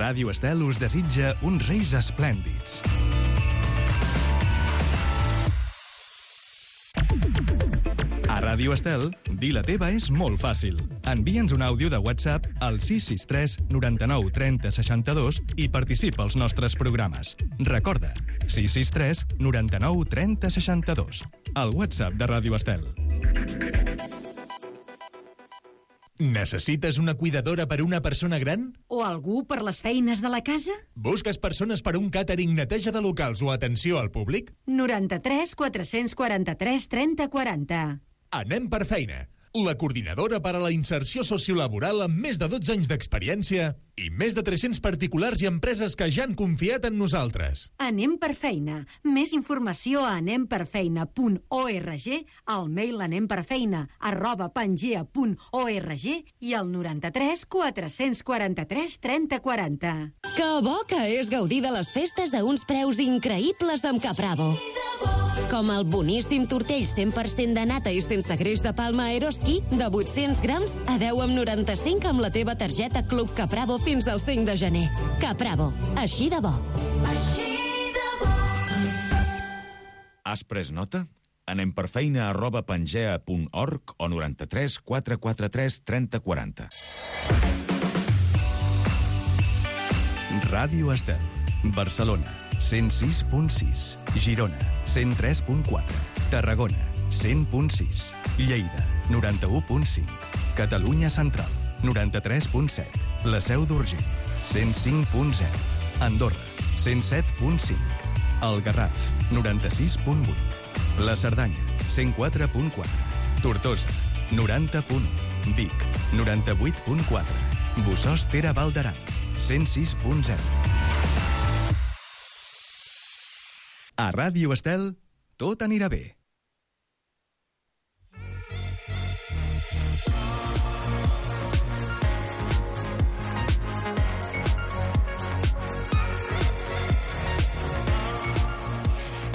Ràdio Estel us desitja uns Reis esplèndids. A Ràdio Estel, dir la teva és molt fàcil. Envia'ns un àudio de WhatsApp al 663 99 30 62 i participa als nostres programes. Recorda, 663 99 30 62. El WhatsApp de Ràdio Estel. Necessites una cuidadora per una persona gran? O algú per les feines de la casa? Busques persones per un càtering, neteja de locals o atenció al públic? 93 443 30 40. Anem per feina. La coordinadora per a la inserció sociolaboral amb més de 12 anys d'experiència i més de 300 particulars i empreses que ja han confiat en nosaltres. Anem per feina. Més informació a anemperfeina.org, al mail anemperfeina@pangea.org i al 93 443 30 40. Que bo que és gaudir de les festes a uns preus increïbles amb Capravo. Com el boníssim tortell 100% de nata i sense greix de palma Eroski de 800 grams a 10,95 amb la teva targeta Club Capravo fins al 5 de gener. Capravo, així de bo. Has pres nota? Anem per feina@pangea.org o 93 443 30 40. Ràdio Estel, Barcelona, 106.6, Girona, 103.4, Tarragona, 100.6, Lleida, 91.5, Catalunya Central, 93.7, La Seu d'Urgell, 105.0, Andorra, 107.5, El Garraf, 96.8, La Cerdanya, 104.4, Tortosa, 90.1, Vic, 98.4, Bossòst, Val d'Aran, 106.0. A Ràdio Estel, tot anirà bé.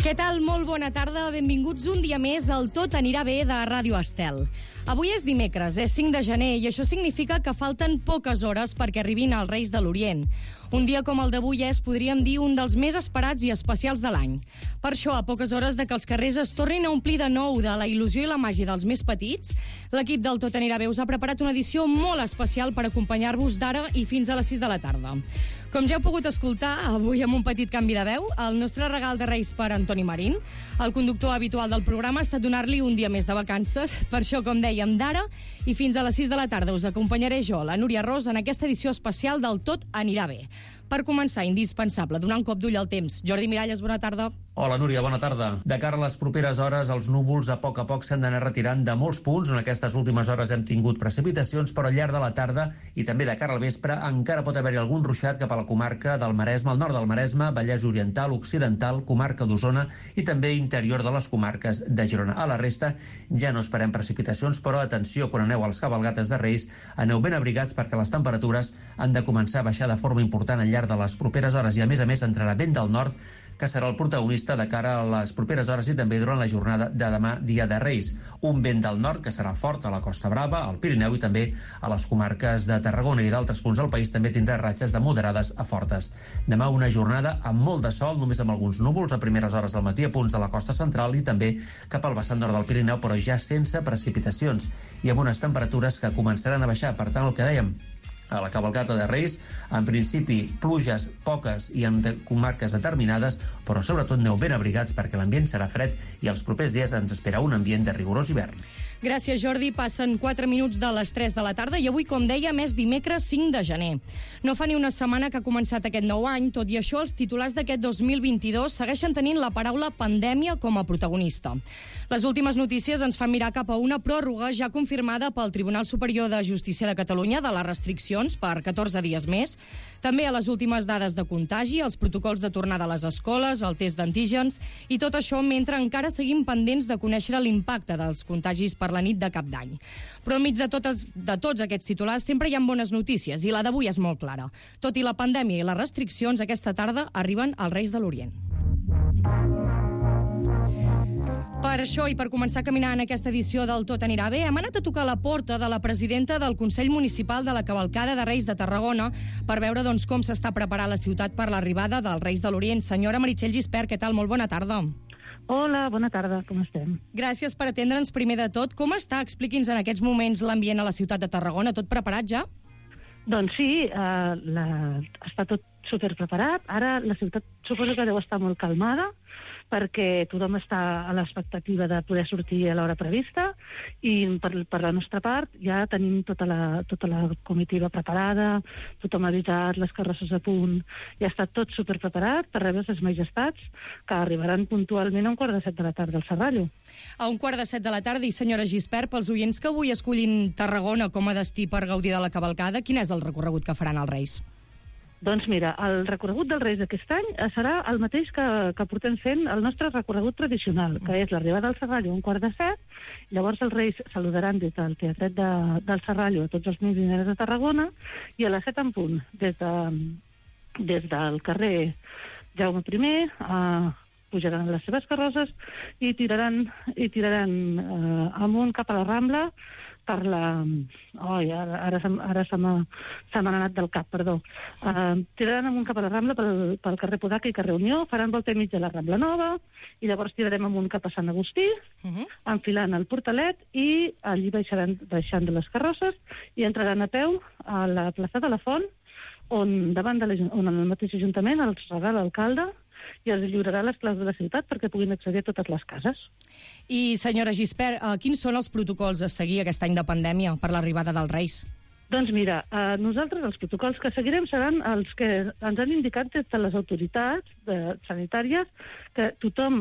Què tal? Molt bona tarda. Benvinguts un dia més al Tot anirà bé de Ràdio Estel. Avui és dimecres, és 5 de gener, i això significa que falten poques hores perquè arribin els Reis de l'Orient. Un dia com el d'avui és, podríem dir, un dels més esperats i especials de l'any. Per això, a poques hores de que els carrers es tornin a omplir de nou de la il·lusió i la màgia dels més petits, l'equip del Tot anirà bé us ha preparat una edició molt especial per acompanyar-vos d'ara i fins a les 6 de la tarda. Com ja heu pogut escoltar, avui amb un petit canvi de veu, el nostre regal de Reis per Antoni Marín, el conductor habitual del programa, ha estat donar-li un dia més de vacances. Per això, com dèiem, d'ara i fins a les 6 de la tarda us acompanyaré jo, la Núria Ros, en aquesta edició especial del Tot anirà bé. Per començar, indispensable, donar un cop d'ull al temps. Jordi Miralles, bona tarda. Hola, Núria, bona tarda. De cara a les properes hores, els núvols a poc s'han d'anar retirant de molts punts. En aquestes últimes hores hem tingut precipitacions, però al llarg de la tarda i també de cara al vespre encara pot haver-hi algun ruixat cap a la comarca del Maresme, al nord del Maresme, Vallès Oriental, Occidental, comarca d'Osona i també interior de les comarques de Girona. A la resta ja no esperem precipitacions, però atenció, quan aneu a les cabalgates de Reis, aneu ben abrigats perquè les temperatures han de començar a baixar de forma important al llarg de les properes hores i, a més, entrarà vent del nord, que serà el protagonista de cara a les properes hores i també durant la jornada de demà, dia de Reis. Un vent del nord que serà fort a la Costa Brava, al Pirineu i també a les comarques de Tarragona i d'altres punts del país també tindrà ratxes de moderades a fortes. Demà una jornada amb molt de sol, només amb alguns núvols a primeres hores del matí a punts de la costa central i també cap al vessant nord del Pirineu, però ja sense precipitacions i amb unes temperatures que començaran a baixar. Per tant, el que dèiem, a la cavalcata de Reis, en principi pluges poques i en comarques determinades, però sobretot aneu ben abrigats perquè l'ambient serà fred i els propers dies ens espera un ambient de rigorós hivern. Gràcies, Jordi. Passen 4 minuts de les 3 de la tarda i avui, com dèiem, és dimecres 5 de gener. No fa ni una setmana que ha començat aquest nou any, tot i això els titulars d'aquest 2022 segueixen tenint la paraula pandèmia com a protagonista. Les últimes notícies ens fan mirar cap a una pròrroga ja confirmada pel Tribunal Superior de Justícia de Catalunya de les restriccions per 14 dies més, també a les últimes dades de contagi, els protocols de tornada a les escoles, el test d'antígens, i tot això mentre encara seguim pendents de conèixer l'impacte dels contagis per la nit de Cap d'Any. Però enmig de tots aquests titulars sempre hi ha bones notícies, i la d'avui és molt clara. Tot i la pandèmia i les restriccions, aquesta tarda arriben els Reis de l'Orient. Per això i per començar a caminar en aquesta edició del Tot anirà bé, hem anat a tocar la porta de la presidenta del Consell Municipal de la Cavalcada de Reis de Tarragona per veure com s'està preparant la ciutat per l'arribada dels Reis de l'Orient. Senyora Meritxell Gispert, què tal? Molt bona tarda. Hola, bona tarda, com estem? Gràcies per atendre'ns primer de tot. Com està? Expliqui'ns en aquests moments l'ambient a la ciutat de Tarragona. Tot preparat ja? Doncs sí, està tot superpreparat. Ara la ciutat suposo que deu estar molt calmada perquè tothom està a l'expectativa de poder sortir a l'hora prevista i per la nostra part ja tenim tota la comitiva preparada, tothom avisat, les carrosses a punt, ja està tot superpreparat per rebre les majestats que arribaran puntualment a 7:15 de la tarda al Serrallo. A 7:15 de la tarda. I senyora Gispert, pels oients que avui escollin Tarragona com a destí per gaudir de la cavalcada, quin és el recorregut que faran els Reis? Doncs mira, el recorregut dels Reis d'aquest any serà el mateix que portem fent el nostre recorregut tradicional, que és l'arribada al Serrallo a 6:15, llavors els Reis saludaran des del Teatret del Serrallo a tots els nens i nenes de Tarragona i a les 7 en punt, des del carrer Jaume I, pujaran les seves carrosses i tiraran amunt cap a la Rambla per la... ara se m'han anat del cap, perdó. Tiraran amunt cap a la Rambla pel carrer Podaca i carrer Unió, faran volta i mig de la Rambla Nova i llavors tirarem amunt cap a Sant Agustí, enfilant el Portalet i allí baixant de les carrosses i entraran a peu a la plaça de la Font on el mateix Ajuntament els regala l'alcalde i els lliurarà les claus de la ciutat perquè puguin accedir a totes les cases. I, senyora Gispert, quins són els protocols a seguir aquest any de pandèmia per l'arribada dels Reis? Doncs mira, nosaltres els protocols que seguirem seran els que ens han indicat des de les autoritats sanitàries, que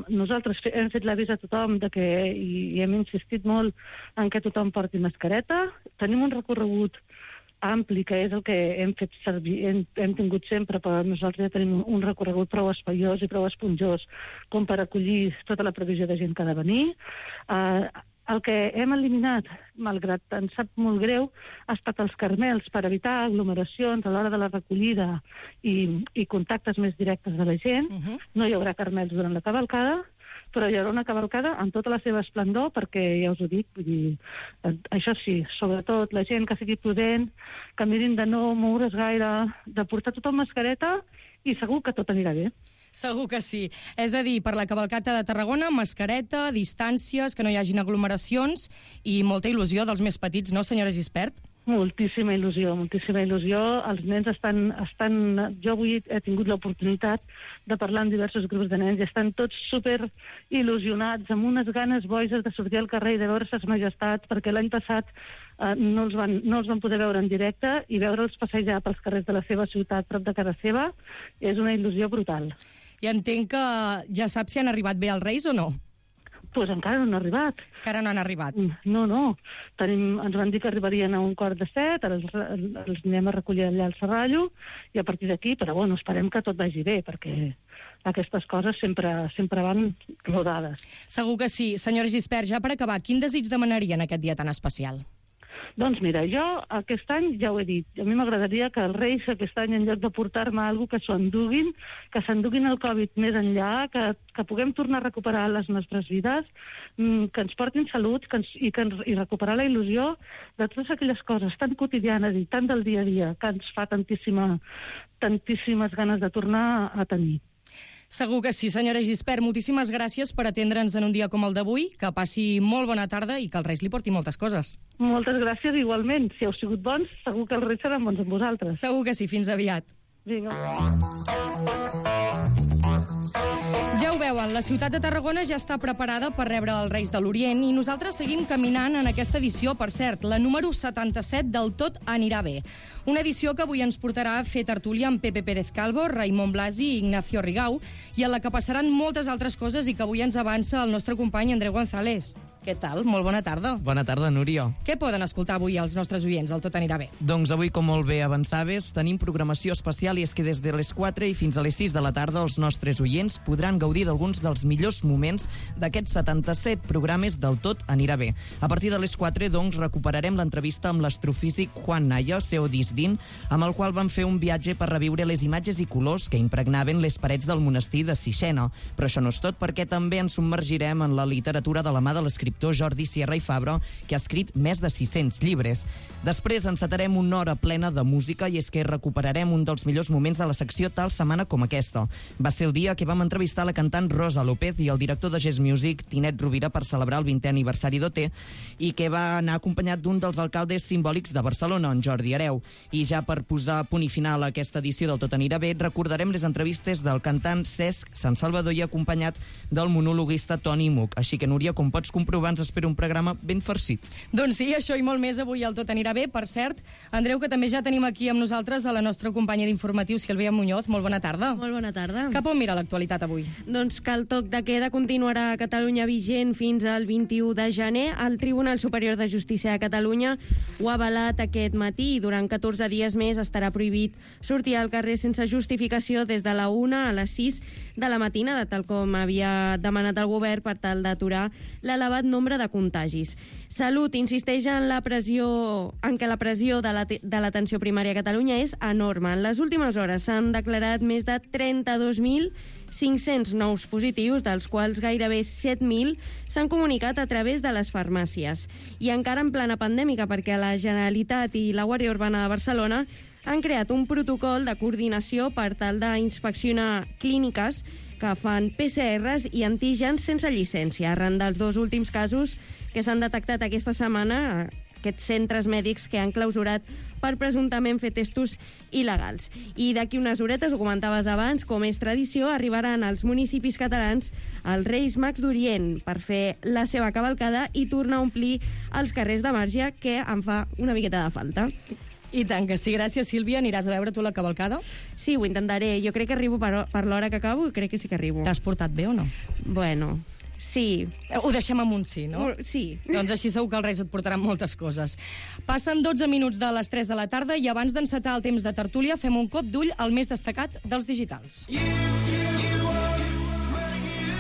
nosaltres hem fet l'avís a tothom i hem insistit molt en que tothom porti mascareta. Tenim un recorregut ampli, que és el que hem fet servir, hem tingut sempre, però nosaltres ja tenim un recorregut prou espaiós i prou esponjós com per acollir tota la previsió de gent que ha de venir. El que hem eliminat, malgrat ens sap molt greu, ha estat els carmels per evitar aglomeracions a l'hora de la recollida i contactes més directes de la gent. No hi haurà carmels durant la cavalcada, però hi haurà una cavalcada amb tota la seva esplendor, perquè ja us ho dic, vull dir, això sí, sobretot la gent que sigui prudent, que mirin de no moure's gaire, de portar tothom mascareta i segur que tot anirà bé. Segur que sí. És a dir, per la cavalcata de Tarragona, mascareta, distàncies, que no hi hagin aglomeracions i molta il·lusió dels més petits, no, senyora Gispert? Moltíssima il·lusió, moltíssima il·lusió. Els nens estan... Jo avui he tingut l'oportunitat de parlar amb diversos grups de nens i estan tots super il·lusionats, amb unes ganes boges de sortir al carrer i de veure ses majestats, perquè l'any passat no els van poder veure en directe i veure'ls passejar pels carrers de la seva ciutat prop de casa seva és una il·lusió brutal. I entenc que ja saps si han arribat bé els Reis o no? Doncs encara no han arribat. Encara no han arribat? No. Ens van dir que arribarien a 6:15, ara els anem a recollir allà al Serrallo, i a partir d'aquí, però bueno, esperem que tot vagi bé, perquè aquestes coses sempre van rodades. Segur que sí. Senyora Gispert, ja per acabar, quin desig demanaria en aquest dia tan especial? Doncs mira, jo aquest any ja ho he dit, a mi m'agradaria que els Reis aquest any, en lloc de portar-me alguna cosa, que s'enduguin el Covid més enllà, que puguem tornar a recuperar les nostres vides, que ens portin salut i recuperar la il·lusió de totes aquelles coses tan quotidianes i tan del dia a dia que ens fa tantíssimes ganes de tornar a tenir. Segur que sí, senyora Gispert. Moltíssimes gràcies per atendre'ns en un dia com el d'avui. Que passi molt bona tarda i que els Reis li porti moltes coses. Moltes gràcies, igualment. Si heu sigut bons, segur que els Reis seran bons amb vosaltres. Segur que sí. Fins aviat. Vinga. Ja ho veuen, la ciutat de Tarragona ja està preparada per rebre els Reis de l'Orient i nosaltres seguim caminant en aquesta edició, per cert, la número 77 del Tot anirà bé. Una edició que avui ens portarà a fer tertúlia amb Pepe Pérez Calvo, Raimon Blasi i Ignacio Rigau, i en la que passaran moltes altres coses i que avui ens avança el nostre company Andreu González. Què tal? Molt bona tarda. Bona tarda, Núria. Què poden escoltar avui els nostres oients? El Tot anirà bé. Doncs avui, com molt bé avançaves, tenim programació especial i és que des de les 4 i fins a les 6 de la tarda els nostres oients podran gaudir d'alguns dels millors moments d'aquests 77 programes del Tot anirà bé. A partir de les 4, doncs, recuperarem l'entrevista amb l'astrofísic Juan Naya, CEO d'ISDIN, amb el qual van fer un viatge per reviure les imatges i colors que impregnaven les parets del monestir de Sixena. Però això no és tot, perquè també ens submergirem en la literatura de la mà de l'escriptor Jordi Sierra i Fabra, que ha escrit més de 600 llibres. Després encetarem una hora plena de música i és que recuperarem un dels millors moments de la secció tal setmana com aquesta. Va ser el dia que vam entrevistar la cantant Rosa López i el director de Jazz Music, Tinet Rovira, per celebrar el 20è aniversari d'OT i que va anar acompanyat d'un dels alcaldes simbòlics de Barcelona, en Jordi Hereu. I ja per posar punt i final a aquesta edició del Tot anirà bé, recordarem les entrevistes del cantant Cesc Sant Salvador i acompanyat del monologuista Toni Muc. Així que, Núria, com pots comprovar, ens espera un programa ben farcit. Doncs sí, això i molt més avui al Tot anirà bé. Per cert, Andreu, que també ja tenim aquí amb nosaltres a la nostra companya d'informatius, Sílvia Muñoz. Molt bona tarda. Molt bona tarda. Cap on mira l'actualitat avui? Doncs que el toc de queda continuarà a Catalunya vigent fins al 21 de gener. El Tribunal Superior de Justícia de Catalunya ho ha avalat aquest matí i durant 14 dies més estarà prohibit sortir al carrer sense justificació des de la 1 a les 6 de la matinada, tal com havia demanat el govern per tal d'aturar l'elevat nombre de contagis. Salut insisteix en que la pressió de l'atenció primària a Catalunya és enorme. En les últimes hores s'han declarat més de 32.500 nous positius, dels quals gairebé 7.000 s'han comunicat a través de les farmàcies. I encara en plena pandèmica, perquè la Generalitat i la Guàrdia Urbana de Barcelona han creat un protocol de coordinació per tal d'inspeccionar clíniques que fan PCRs i antígens sense llicència. Arran dels dos últims casos que s'han detectat aquesta setmana, aquests centres mèdics que han clausurat per presumptament fer testos il·legals. I d'aquí unes horetes, ho comentaves abans, com és tradició, arribaran als municipis catalans els Reis Mags d'Orient per fer la seva cavalcada i tornar a omplir els carrers de Marge, que em fa una miqueta de falta. I tant que sí. Gràcies, Sílvia. Aniràs a veure tu la cavalcada? Sí, ho intentaré. Jo crec que arribo per l'hora que acabo i crec que sí que arribo. T'has portat bé o no? Bueno, sí. Ho deixem amb un sí, no? Sí. Doncs així segur que els Reis et portaran moltes coses. Passen 12 minuts de les 3 de la tarda i abans d'encetar el temps de tertúlia fem un cop d'ull al més destacat dels digitals.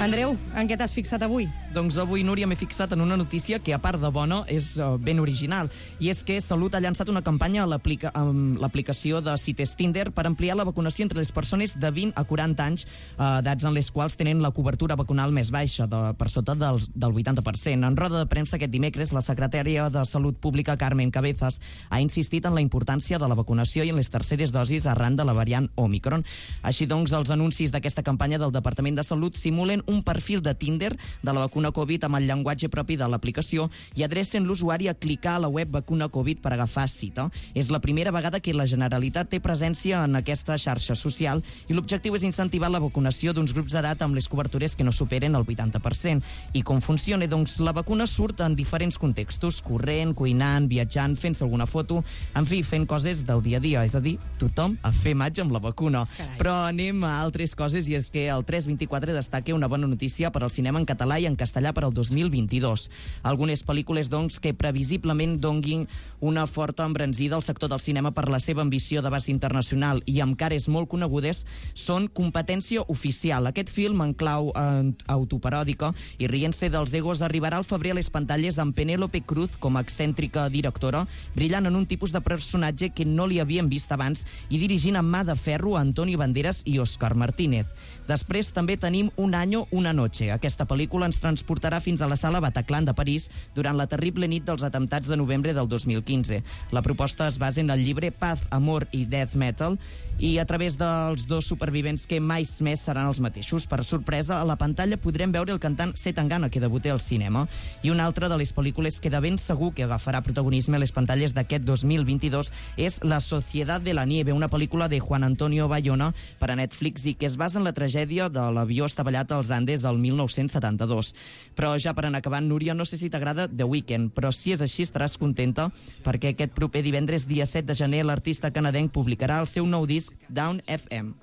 Andreu, en què t'has fixat avui? Doncs avui, Núria, m'he fixat en una notícia que, a part de bona, és ben original. I és que Salut ha llançat una campanya amb l'aplicació de Cites Tinder per ampliar la vacunació entre les persones de 20 a 40 anys, edats en les quals tenen la cobertura vacunal més baixa, per sota del 80%. En roda de premsa aquest dimecres, la secretària de Salut Pública, Carmen Cabezas, ha insistit en la importància de la vacunació i en les terceres dosis arran de la variant Omicron. Així doncs, els anuncis d'aquesta campanya del Departament de Salut simulen un perfil de Tinder de la vacuna Covid amb el llenguatge propi de l'aplicació i adrecen l'usuari a clicar a la web Vacuna Covid per agafar cita. És la primera vegada que la Generalitat té presència en aquesta xarxa social i l'objectiu és incentivar la vacunació d'uns grups d'edat amb les cobertures que no superen el 80%. I com funciona? Doncs la vacuna surt en diferents contextos, corrent, cuinant, viatjant, fent-se alguna foto, en fi, fent coses del dia a dia, és a dir, tothom a fer maig amb la vacuna. Carai. Però anem a altres coses i és que el 324 destaca una bona notícia per al cinema en català i en castellà per al 2022. Algunes pel·lícules, doncs, que previsiblement donguin una forta embranzida al sector del cinema per la seva ambició d'abast internacional i amb cares molt conegudes són Competència Oficial. Aquest film, en clau autoparòdica i rient-se dels egos, arribarà al febrer a les pantalles amb Penélope Cruz com a excèntrica directora, brillant en un tipus de personatge que no li havien vist abans i dirigint amb mà de ferro a Antonio Banderas i Óscar Martínez. Després també tenim Un año, una noche. Aquesta pel·lícula ens transportarà fins a la sala Bataclan de París durant la terrible nit dels atemptats de novembre del 2015. La proposta es basa en el llibre Paz, Amor i Death Metal i a través dels dos supervivents que mai més seran els mateixos. Per sorpresa, a la pantalla podrem veure el cantant Zetangana, que debuta al cinema. I una altra de les pel·lícules que de ben segur que agafarà protagonisme a les pantalles d'aquest 2022 és La Sociedad de la Nieve, una pel·lícula de Juan Antonio Bayona per a Netflix i que es basa en la tragèdia de l'avió estavellat als Andes el 1972. Però ja per anar acabant, Núria, no sé si t'agrada The Weeknd, però si és així estaràs contenta perquè aquest proper divendres, dia 7 de gener, l'artista canadenc publicarà el seu nou disc Down FM.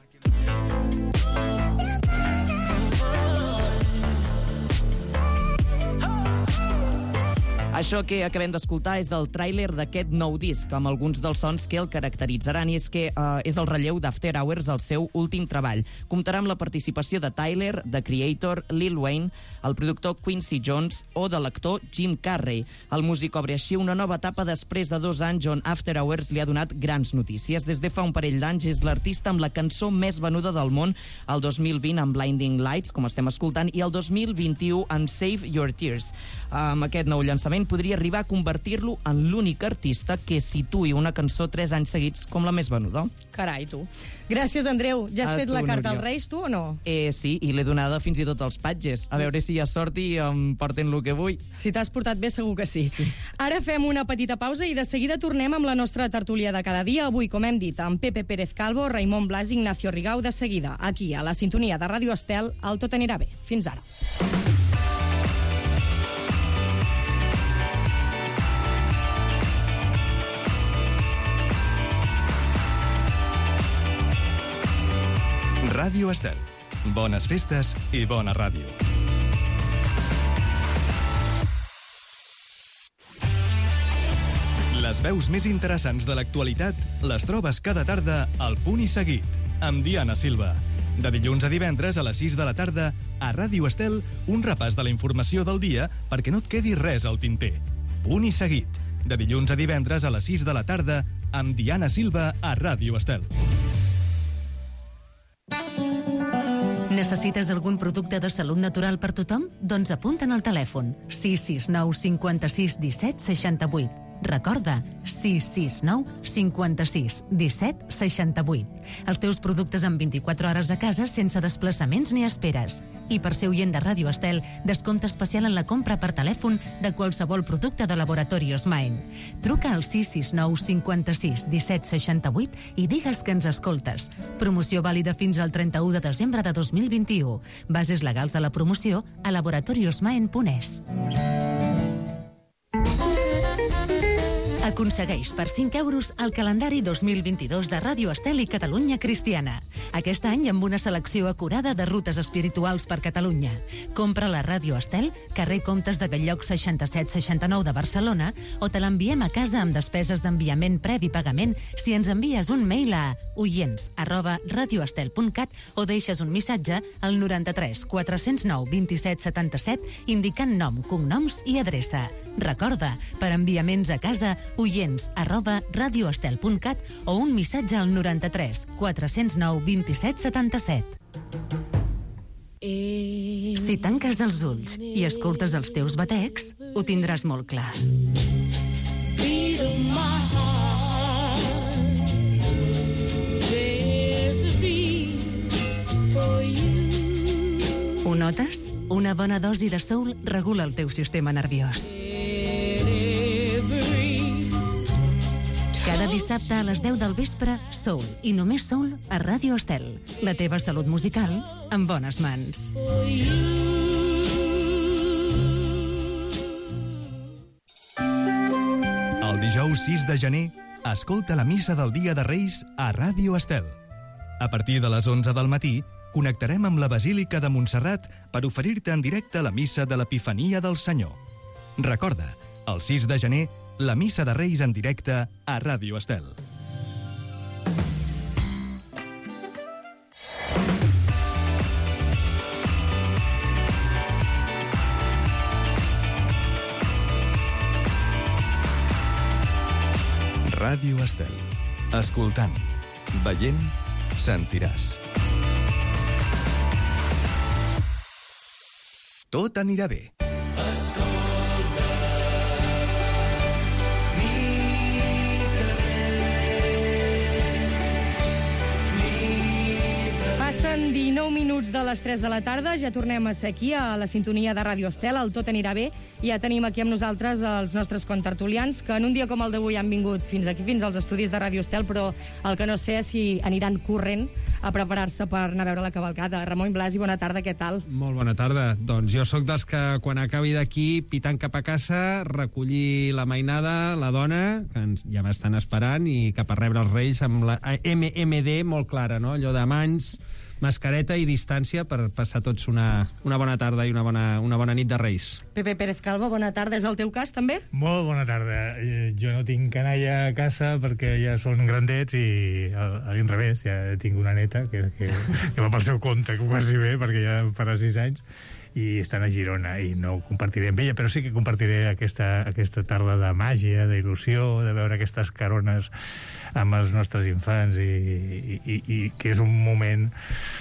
Això que acabem d'escoltar és el tràiler d'aquest nou disc, amb alguns dels sons que el caracteritzaran, i és que és el relleu d'After Hours, el seu últim treball. Comptarà amb la participació de Tyler, The Creator, Lil Wayne, el productor Quincy Jones o de l'actor Jim Carrey. El músic obre així una nova etapa després de 2 anys on After Hours li ha donat grans notícies. Des de fa un parell d'anys és l'artista amb la cançó més venuda del món, el 2020 amb Blinding Lights, com estem escoltant, i el 2021 amb Save Your Tears. Amb aquest nou llançament podria arribar a convertir-lo en l'únic artista que situï una cançó 3 anys seguits com la més venuda. Carai, tu. Gràcies, Andreu. Ja has fet la carta als Reis, tu, o no? Sí, i l'he donada fins i tot als patges. A veure si hi ha sort i em porten el que vull. Si t'has portat bé, segur que sí. Ara fem una petita pausa i de seguida tornem amb la nostra tertúlia de cada dia. Avui, com hem dit, amb Pepe Pérez Calvo, Raimon Blas i Ignacio Rigau, de seguida, aquí, a la sintonia de Ràdio Estel, el Tot anirà bé. Fins ara. Ràdio Estel. Bones festes i bona ràdio. Les veus més interessants de l'actualitat les trobes cada tarda al Punt i Seguit, amb Diana Silva. De dilluns a divendres a les 6 de la tarda, a Ràdio Estel, un repàs de la informació del dia perquè no et quedi res al tinter. Punt i Seguit. De dilluns a divendres a les 6 de la tarda, amb Diana Silva a Ràdio Estel. Necessites algun producte de salut natural per tothom? Doncs apunta'n al telèfon 669 56 17 68. Recorda, 669 56 17 68. Els teus productes en 24 hores a casa sense desplaçaments ni esperes. I per ser oient de Ràdio Estel, descompte especial en la compra per telèfon de qualsevol producte de Laboratorios Maen. Truca al 669 56 17 68 i digues que ens escoltes. Promoció vàlida fins al 31 de desembre de 2021. Bases legals de la promoció a laboratoriosmaen.es. Aconsegueix per 5 euros el calendari 2022 de Ràdio Estel i Catalunya Cristiana. Aquest any amb una selecció acurada de rutes espirituals per Catalunya. Compra la Ràdio Estel, carrer Comtes de Belllloc 6769 de Barcelona, o te l'enviem a casa amb despeses d'enviament previ pagament si ens envies un mail a oients@radioestel.cat o deixes un missatge al 93 409 27 77 indicant nom, cognoms i adreça. Recorda, per enviaments a casa, oients@radioestel.cat o un missatge al 93 409 27 77. Si tanques els ulls i escoltes els teus batecs, ho tindràs molt clar. Ho notes? Una bona dosi de soul regula el teu sistema nerviós. Cada dissabte a les 10 del vespre, soul i només soul a Ràdio Estel. La teva salut musical en bones mans. El dijous 6 de gener, escolta la missa del Dia de Reis a Ràdio Estel. A partir de les 11 del matí, connectarem amb la Basílica de Montserrat per oferir-te en directe la missa de l'Epifania del Senyor. Recorda, el 6 de gener, la missa de Reis en directe a Ràdio Estel. Ràdio Estel. Escoltant, veient, sentiràs. Tot anirà bé. Passen 19 minuts de les 3 de la tarda, ja tornem a ser aquí a la sintonia de Ràdio Estel, el Tot anirà bé, i ja tenim aquí amb nosaltres els nostres contertulians, que en un dia com el d'avui han vingut fins aquí, fins als estudis de Ràdio Estel, però el que no sé és si aniran corrent a preparar-se per anar a veure la cavalcada. Ramon Blasi, bona tarda, què tal? Molt bona tarda. Doncs jo sóc dels que quan acabi d'aquí, pitant cap a casa, recollir la mainada, la dona, que ja m'estan esperant, i cap a rebre els Reis amb la MMD molt clara, no? Allò de mans mascareta i distància per passar tots una bona tarda i una bona nit de Reis. Pepe Pérez Calvo, bona tarda. És el teu cas, també? Molt bona tarda. Jo no tinc canalla a casa perquè ja són grandets i a l'inrevés, ja tinc una neta que va pel seu compte quasi bé perquè ja farà 6 anys i estan a Girona i no ho compartiré amb ella, però sí que compartiré aquesta tarda de màgia, d'il·lusió, de veure aquestes carones amb els nostres infants i que és un moment,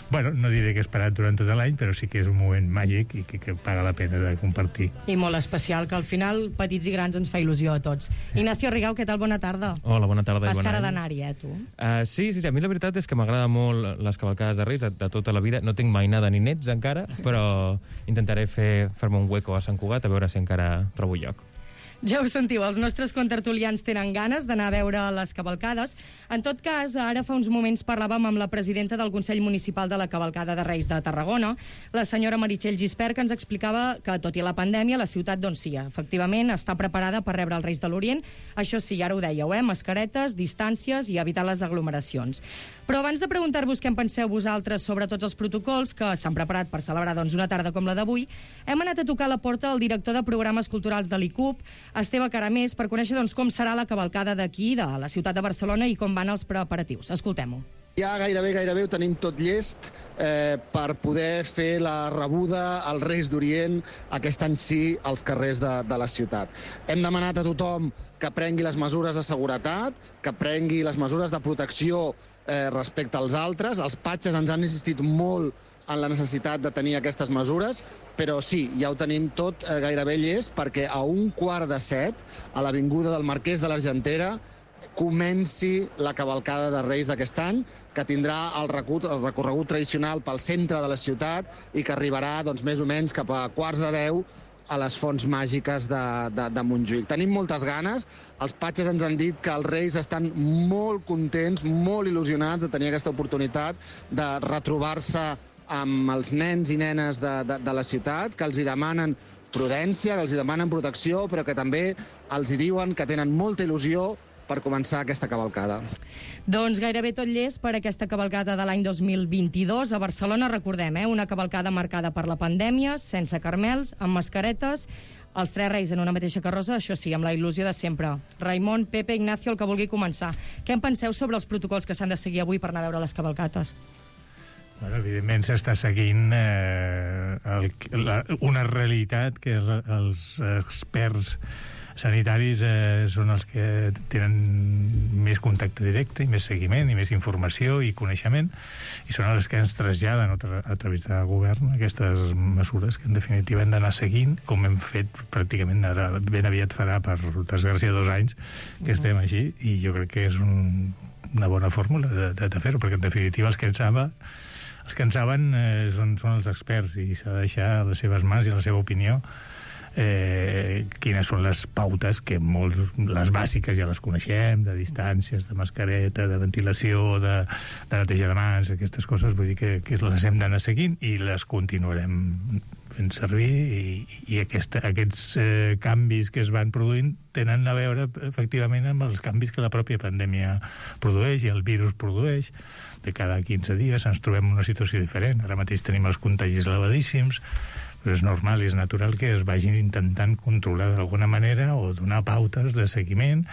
bueno, no diré que esperat durant tot l'any, però sí que és un moment màgic i que paga la pena de compartir. I molt especial, que al final petits i grans ens fa il·lusió a tots. Ignacio Rigau, què tal? Bona tarda. Hola, bona tarda. Fas cara d'anar-hi, tu? Sí, a mi la veritat és que m'agrada molt les cavalcades de Reis de tota la vida. No tinc mai nada ni nets encara, però intentaré fer-me un hueco a Sant Cugat a veure si encara trobo lloc. Ja ho sentiu, els nostres contertulians tenen ganes d'anar a veure les cavalcades. En tot cas, ara fa uns moments parlàvem amb la presidenta del Consell Municipal de la Cavalcada de Reis de Tarragona, la senyora Meritxell Gispert, que ens explicava que, tot i la pandèmia, la ciutat, doncs sí, efectivament, està preparada per rebre els Reis de l'Orient. Això sí, ara ho dèieu, mascaretes, distàncies i evitar les aglomeracions. Però abans de preguntar-vos què en penseu vosaltres sobre tots els protocols que s'han preparat per celebrar una tarda com la d'avui, hem anat a tocar a la porta al director de programes culturals de l'ICUP, Esteve Caramés, per conèixer com serà la cavalcada d'aquí, de la ciutat de Barcelona, i com van els preparatius. Escoltem-ho. Ja gairebé ho tenim tot llest per poder fer la rebuda als Reis d'Orient aquest any sí als carrers de la ciutat. Hem demanat a tothom que prengui les mesures de seguretat, que prengui les mesures de protecció respecte als altres. Els patges ens han insistit molt en la necessitat de tenir aquestes mesures, però sí, ja ho tenim tot gairebé llest perquè a 6:15 a l'avinguda del Marquès de l'Argentera comenci la cavalcada de Reis d'aquest any, que tindrà el recorregut tradicional pel centre de la ciutat i que arribarà més o menys cap a 9:15 a les fonts màgiques de Montjuïc. Tenim moltes ganes. Els patges ens han dit que els Reis estan molt contents, molt il·lusionats de tenir aquesta oportunitat de retrobar-se amb els nens i nenes de la ciutat, que els hi demanen prudència, que els hi demanen protecció, però que també els hi diuen que tenen molta il·lusió per començar aquesta cavalcada. Doncs gairebé tot llest per aquesta cavalcada de l'any 2022. A Barcelona, recordem, una cavalcada marcada per la pandèmia, sense carmels, amb mascaretes, els 3 Reis en una mateixa carrossa, això sí, amb la il·lusió de sempre. Raimon, Pepe, Ignacio, el que vulgui començar. Què en penseu sobre els protocols que s'han de seguir avui per anar a veure les cavalcates? Bueno, evidentment s'està seguint una realitat que els experts sanitaris són els que tenen més contacte directe i més seguiment i més informació i coneixement i són els que ens traslladen a través del govern aquestes mesures que en definitiva hem d'anar seguint, com hem fet pràcticament ara, ben aviat farà per desgràcia 2 anys que estem així, i jo crec que és una bona fórmula de fer-ho, perquè en definitiva els que en saben són els experts i s'ha de deixar a les seves mans i a la seva opinió quines són les pautes que les bàsiques ja les coneixem, de distàncies, de mascareta, de ventilació, de neteja de mans, aquestes coses, vull dir que les hem d'anar seguint i les continuarem fent servir i aquests canvis que es van produint tenen a veure efectivament amb els canvis que la pròpia pandèmia produeix i el virus produeix. De cada 15 dies ens trobem en una situació diferent. Ara mateix tenim els contagis elevadíssims, però és normal i és natural que es vagin intentant controlar d'alguna manera o donar pautes de seguiment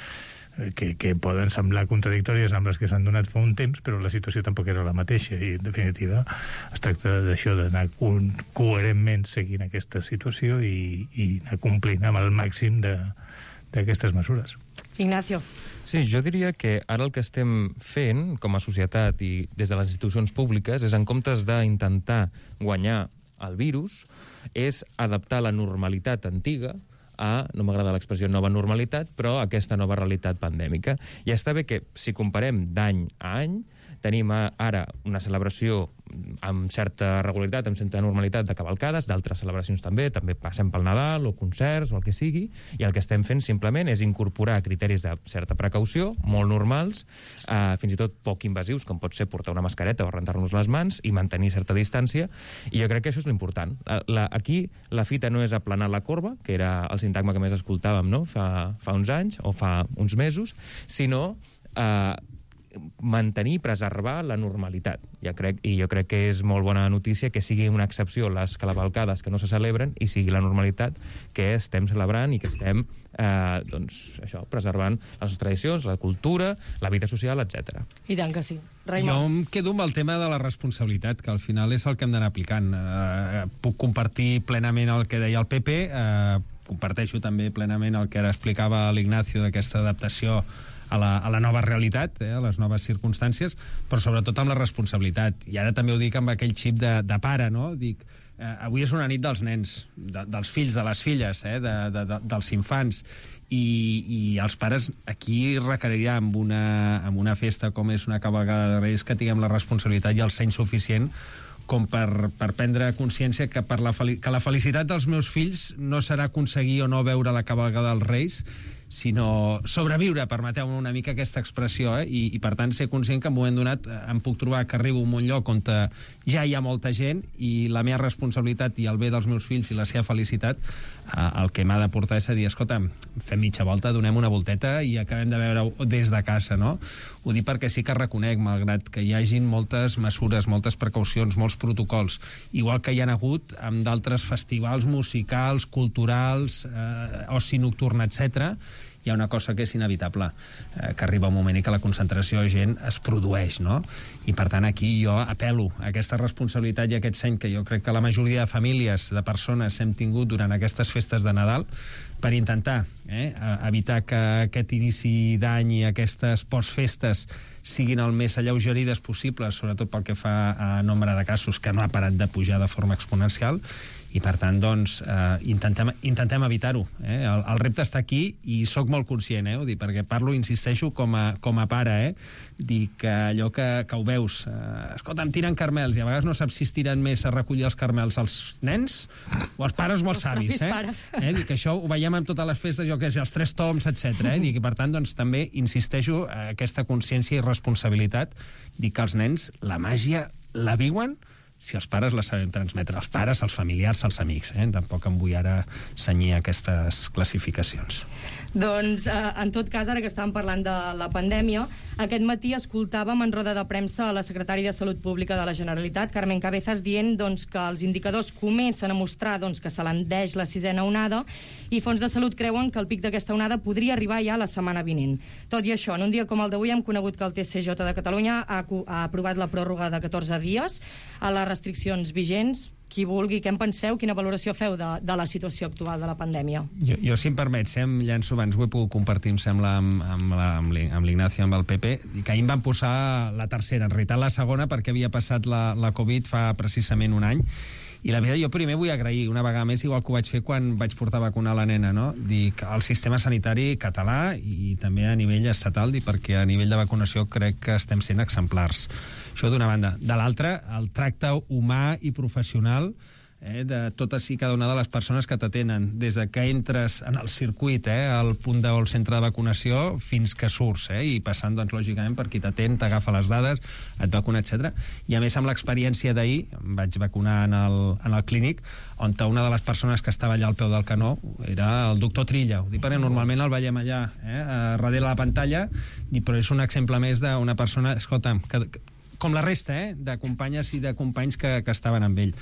que poden semblar contradictòries amb les que s'han donat fa un temps, però la situació tampoc era la mateixa i, en definitiva, es tracta d'això, d'anar coherentment seguint aquesta situació i anar complint amb el màxim d'aquestes mesures. Ignacio. Sí, jo diria que ara el que estem fent com a societat i des de les institucions públiques és, en comptes d'intentar guanyar el virus, és adaptar la normalitat antiga a, no m'agrada l'expressió nova normalitat, però aquesta nova realitat pandèmica. I està bé que, si comparem d'any a any, tenim ara una celebració amb certa regularitat, amb certa normalitat de cavalcades, d'altres celebracions també passem pel Nadal o concerts o el que sigui, i el que estem fent simplement és incorporar criteris de certa precaució, molt normals, fins i tot poc invasius, com pot ser portar una mascareta o rentar-nos les mans i mantenir certa distància, i jo crec que això és l'important. Aquí la fita no és aplanar la corba, que era el sintagma que més escoltàvem, no?, fa uns anys o fa uns mesos, sinó mantenir, preservar la normalitat. Jo crec que és molt bona notícia que sigui una excepció les cavalcades que no se celebren i sigui la normalitat que estem celebrant i que estem preservant les nostres tradicions, la cultura, la vida social, etc. I tant que sí. Raimon. Jo em quedo amb el tema de la responsabilitat, que al final és el que hem d'anar aplicant. Puc compartir plenament el que deia el Pepe, comparteixo també plenament el que ara explicava l'Ignacio d'aquesta adaptació a la nova realitat, a les noves circumstàncies, però sobretot amb la responsabilitat. I ara també ho dic amb aquell xip de pare, no? Dic, avui és una nit dels nens, dels fills, de les filles, dels infants, i els pares aquí requeriria amb una festa com és una cavalcada de Reis que tinguem la responsabilitat i el seny suficient com per prendre consciència que la felicitat dels meus fills no serà aconseguir o no veure la cavalcada dels Reis, sinó sobreviure, permeteu-me una mica aquesta expressió, i per tant ser conscient que en un moment donat em puc trobar que arribo a un lloc on ja hi ha molta gent i la meva responsabilitat i el bé dels meus fills i la seva felicitat el que m'ha de portar és a dir, escolta, fem mitja volta, donem una volteta i acabem de veure des de casa, no? Ho dic perquè sí que reconec, malgrat que hi hagin moltes mesures, moltes precaucions, molts protocols, igual que hi ha hagut amb d'altres festivals musicals, culturals, oci nocturn, etc., hi ha una cosa que és inevitable, que arriba un moment i que la concentració de gent es produeix, no? I per tant aquí jo apel·lo a aquesta responsabilitat i aquest seny que jo crec que la majoria de famílies, de persones hem tingut durant aquestes festes de Nadal per intentar evitar que aquest inici d'any i aquestes postfestes siguin el més alleugerides possibles, sobretot pel que fa a nombre de casos que no ha parat de pujar de forma exponencial, i per tant, doncs, intentem evitar-ho. El repte està aquí i sóc molt conscient, ho dic, perquè parlo, insisteixo, com a pare, dic que allò que ho veus, escolta, em tiren carmels, i a vegades no saps si es tiren més a recollir els carmels els nens o els pares o els avis, dic que això ho veiem en totes les festes, jo què sé, els 3 toms, etc. Dic, i per tant, doncs, també insisteixo aquesta consciència i responsabilitat, dic que els nens la màgia la viuen si els pares la sabem transmetre, els pares, els familiars, els amics. Tampoc em vull ara cenyir aquestes classificacions. Doncs, en tot cas, ara que estàvem parlant de la pandèmia, aquest matí escoltàvem en roda de premsa a la secretària de Salut Pública de la Generalitat, Carmen Cabezas, dient que els indicadors comencen a mostrar que s'alenteix la 6a onada i Fons de Salut creuen que el pic d'aquesta onada podria arribar ja la setmana vinent. Tot i això, en un dia com el d'avui hem conegut que el TCJ de Catalunya ha aprovat la pròrroga de 14 dies a les restriccions vigents. Qui vulgui, què en penseu? Quina valoració feu de la situació actual de la pandèmia? Jo si em permets, em llanço abans, ho he pogut compartir, em sembla, amb l'Ignacio, amb el Pepe, que ahir em van posar la tercera, en realitat la segona, perquè havia passat la Covid fa precisament un any, i la veritat, jo primer vull agrair una vegada més, igual que ho vaig fer quan vaig portar a vacunar la nena, no? Dic, el sistema sanitari català i també a nivell estatal, perquè a nivell de vacunació crec que estem sent exemplars. Això d'una banda. De l'altra, el tracte humà i professional de totes i cada una de les persones que t'atenen, des que entres en el circuit, al punt del centre de vacunació, fins que surts, i passant, doncs, lògicament, per qui t'atén, t'agafa les dades, et vacuna, etc. I a més, amb l'experiència d'ahir, em vaig vacunar en el clínic, on una de les persones que estava allà al peu del canó era el doctor Trilla. Ho dic perquè normalment el veiem allà, darrere la pantalla, però és un exemple més d'una persona, escolta'm, com la resta, de companyes i de companys que estaven amb ell.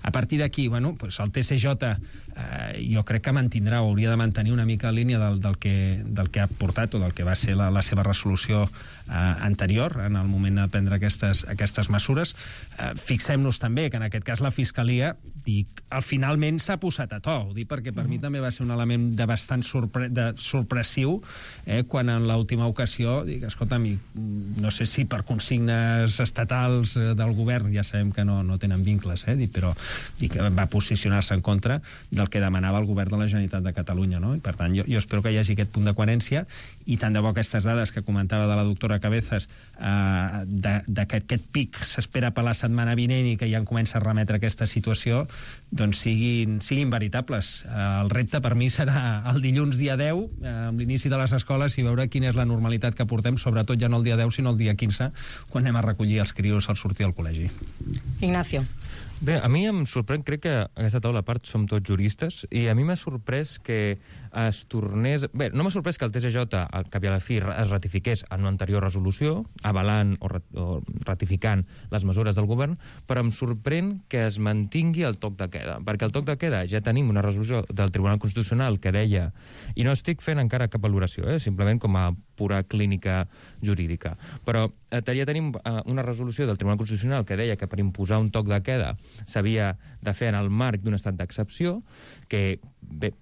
A partir d'aquí, el TCJ jo crec que mantindrà o hauria de mantenir una mica en línia del que ha portat o del que va ser la seva resolució anterior en el moment de prendre aquestes mesures. Fixem-nos també que en aquest cas la Fiscalia finalment s'ha posat a to, ho dic perquè per mi també va ser un element de bastant sorpressiu quan en l'última ocasió escolta'm, no sé si per consignes estatals del govern, ja sabem que no tenen vincles, però va posicionar-se en contra del que demanava el govern de la Generalitat de Catalunya, no? I per tant jo espero que hi hagi aquest punt de coherència i tant de bo aquestes dades que comentava de la doctora Cabezas que aquest pic s'espera per la setmana vinent i que ja comença a remetre aquesta situació, doncs siguin veritables. El repte per mi serà el dilluns dia 10, amb l'inici de les escoles, i veure quina és la normalitat que portem, sobretot ja no el dia 10, sinó el dia 15, quan anem a recollir els crios al sortir del col·legi. Ignacio. Bé, a mi em sorprèn, crec que a aquesta taula a part som tots juristes, i a mi m'ha sorprès que es tornés... Bé, no m'ha sorprès que el TSJ, al cap i a la fi, es ratifiqués en una anterior resolució, avalant o ratificant les mesures del govern, però em sorprèn que es mantingui el toc de queda, perquè el toc de queda ja tenim una resolució del Tribunal Constitucional que deia, i no estic fent encara cap valoració, simplement com a pura clínica jurídica, però ja tenim una resolució del Tribunal Constitucional que deia que per imposar un toc de queda s'havia de fer en el marc d'un estat d'excepció, que bé,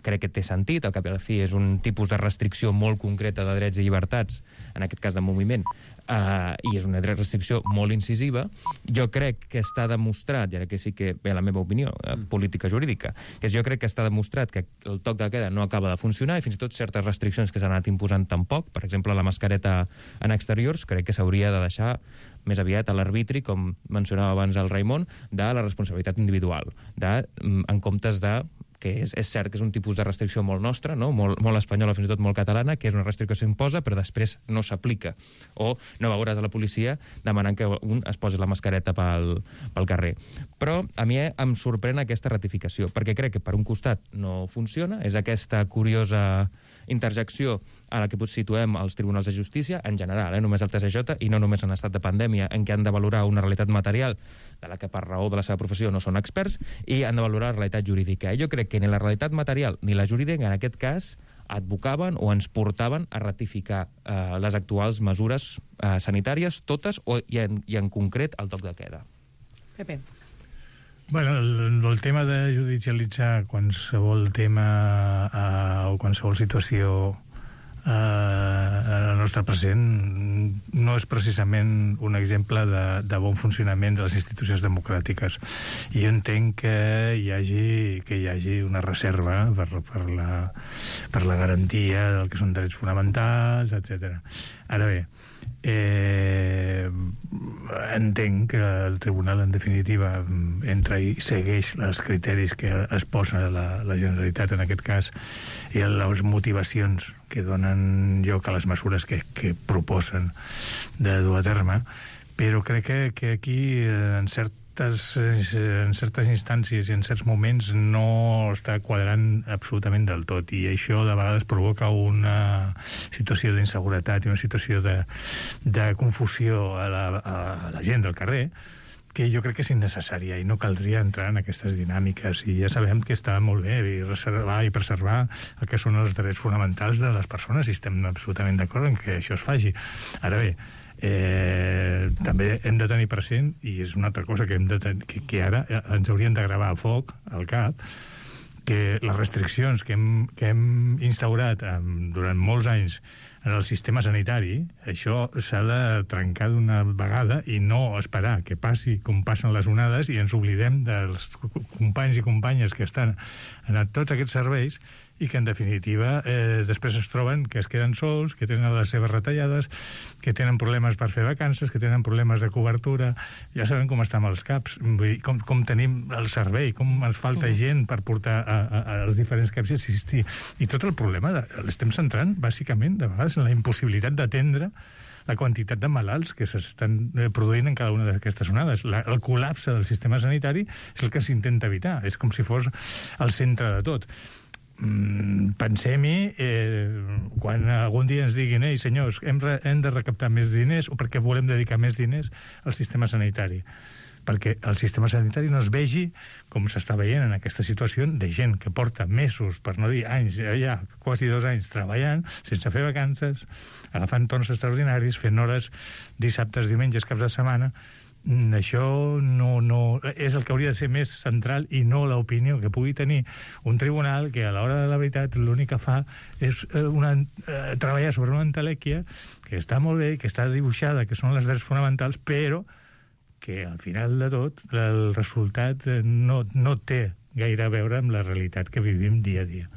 crec que té sentit, al cap i a la fi és un tipus de restricció molt concreta de drets i llibertats, en aquest cas de moviment, i és una restricció molt incisiva. Jo crec que està demostrat, i ara que sí que ve la meva opinió política jurídica, que jo crec que està demostrat que el toc de queda no acaba de funcionar, i fins i tot certes restriccions que s'han anat imposant tampoc, per exemple la mascareta en exteriors, crec que s'hauria de deixar més aviat a l'arbitri, com mencionava abans el Raimon, de la responsabilitat individual, en comptes de que és cert que és un tipus de restricció molt nostra, no? molt espanyola, fins i tot molt catalana, que és una restricció que s'imposa però després no s'aplica. O no veuràs a la policia demanant que un es posi la mascareta pel carrer. Però a mi em sorprèn aquesta ratificació, perquè crec que per un costat no funciona, és aquesta curiosa interjecció a la que situem els tribunals de justícia, en general, només el TSJ, i no només en estat de pandèmia, en què han de valorar una realitat material de la que per raó de la seva professió no són experts, i han de valorar la realitat jurídica. I jo crec que ni la realitat material ni la jurídica, en aquest cas, advocaven o ens portaven a ratificar les actuals mesures sanitàries, totes, i en concret el toc de queda. Pepe. Bueno, el tema de judicialitzar qualsevol tema o qualsevol situació en el nostre present no és precisament un exemple de bon funcionament de les institucions democràtiques. I jo entenc que hi hagi una reserva per la garantia del que són drets fonamentals, etc. Ara bé, entenc que el tribunal en definitiva entra i segueix els criteris que es posa la Generalitat en aquest cas i les motivacions que donen lloc a les mesures que proposen de dur a terme, però crec que aquí en certes instàncies i en certs moments no està quadrant absolutament del tot, i això de vegades provoca una situació d'inseguretat i una situació de confusió a la gent del carrer que jo crec que és innecessària i no caldria entrar en aquestes dinàmiques, i ja sabem que està molt bé reservar i preservar el que són els drets fonamentals de les persones, i estem absolutament d'acord en que això es faci. Ara bé, també hem de tenir present, i és una altra cosa que ara ens haurien de gravar a foc al cap, que les restriccions que hem instaurat durant molts anys en el sistema sanitari, això s'ha de trencar d'una vegada i no esperar que passi com passen les onades i ens oblidem dels companys i companyes que estan en tots aquests serveis i que, en definitiva, després es troben que es queden sols, que tenen les seves retallades, que tenen problemes per fer vacances, que tenen problemes de cobertura. Ja sabem com estan els CAPs, com tenim el servei, com ens falta gent per portar als diferents CAPs i assistir. I tot el problema l'estem centrant, bàsicament, de vegades, en la impossibilitat d'atendre la quantitat de malalts que s'estan produint en cada una d'aquestes onades. El col·lapse del sistema sanitari és el que s'intenta evitar. És com si fos el centre de tot. Pensem-hi quan algun dia ens diguin ei senyors, hem de recaptar més diners o perquè volem dedicar més diners al sistema sanitari, perquè el sistema sanitari no es vegi com s'està veient en aquesta situació de gent que porta mesos, per no dir anys, ja quasi 2 anys treballant sense fer vacances, agafant torns extraordinaris, fent hores dissabtes, diumenges, caps de setmana. Això no és el que hauria de ser més central i no l'opinió que pugui tenir un tribunal que a l'hora de la veritat l'únic que fa és treballar sobre una entelèquia que està molt bé, que està dibuixada, que són els drets fonamentals, però que al final de tot el resultat no té gaire a veure amb la realitat que vivim dia a dia.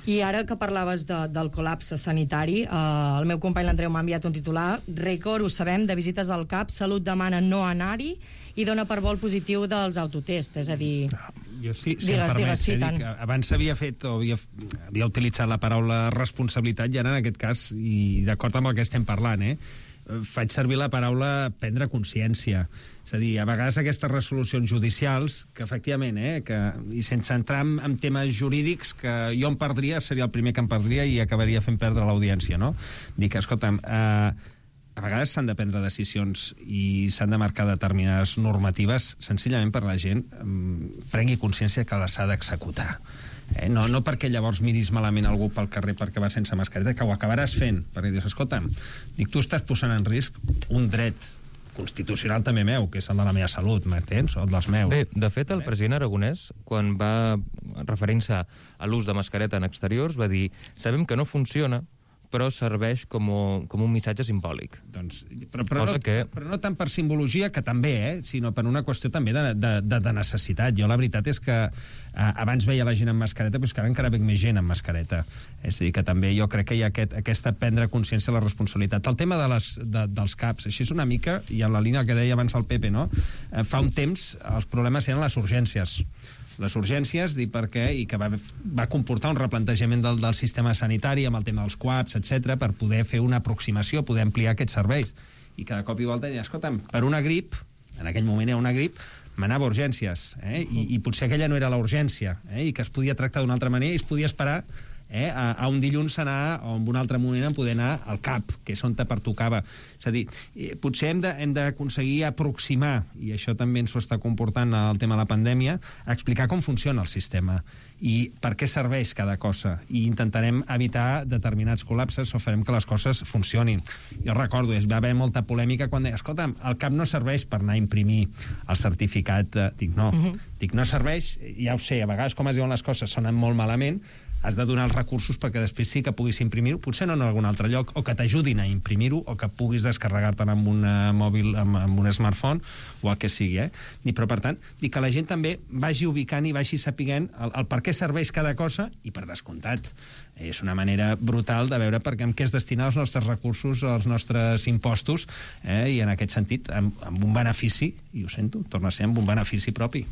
I ara que parlaves del col·lapse sanitari, el meu company l'Andreu m'ha enviat un titular, rècord, ho sabem, de visites al CAP, Salut demana no anar-hi i dona per vol positiu dels autotests, és a dir... Jo sí, si em permets, abans s'havia fet o havia utilitzat la paraula responsabilitat, i ara en aquest cas, i d'acord amb el que estem parlant, faig servir la paraula prendre consciència. És a dir, a vegades aquestes resolucions judicials, que efectivament, i sense entrar en temes jurídics, que jo em perdria, seria el primer que em perdria i acabaria fent perdre l'audiència, no? Dic, escolta'm, a vegades s'han de prendre decisions i s'han de marcar determinades normatives senzillament per la gent prengui consciència que les ha d'executar. No perquè llavors miris malament algú pel carrer perquè va sense mascareta, que ho acabaràs fent, perquè dius, escolta'm, tu estàs posant en risc un dret constitucional també meu, que és el de la meva salut, m'entens? O el dels meus. Bé, de fet, el president Aragonès, quan va referint-se a l'ús de mascareta en exteriors, va dir, sabem que no funciona, però serveix com un missatge simbòlic. Però no tant per simbologia, que també, sinó per una qüestió també de necessitat. Jo la veritat és que abans veia la gent amb mascareta, però és que ara encara veig més gent amb mascareta. És a dir, que també jo crec que hi ha aquesta prendre consciència de la responsabilitat. El tema dels CAPs, així és una mica, i en la línia que deia abans el Pepe, no? Fa un temps els problemes eren les urgències. Les urgències, i que va comportar un replantejament del sistema sanitari amb el tema dels CUAPs, etc, per poder fer una aproximació, poder ampliar aquests serveis. I cada cop i volta deia, escolta'm, per una grip, en aquell moment era una grip, m'anava a urgències, i potser aquella no era la urgència, i que es podia tractar d'una altra manera i es podia esperar a un dilluns anar, o en un altre moment en poder anar al CAP, que és on te pertocava. És a dir, potser hem d'aconseguir aproximar, i això també ens ho està comportant el tema de la pandèmia, a explicar com funciona el sistema i per què serveix cada cosa, i intentarem evitar determinats col·lapses o farem que les coses funcionin. Jo recordo, va haver molta polèmica quan deia, escolta'm, el CAP no serveix per anar a imprimir el certificat. Dic, no serveix, ja ho sé, a vegades com es diuen les coses sonen molt malament, has de donar els recursos perquè després sí que puguis imprimir-ho, potser no en algun altre lloc, o que t'ajudin a imprimir-ho, o que puguis descarregar-te'n amb un mòbil, amb un smartphone, o el que sigui. Però, per tant, dic que la gent també vagi ubicant i vagi sapiguent el per què serveix cada cosa, i per descomptat. És una manera brutal de veure amb què es destinen els nostres recursos, els nostres impostos, i en aquest sentit, amb un benefici, i ho sento, torna a ser amb un benefici propi.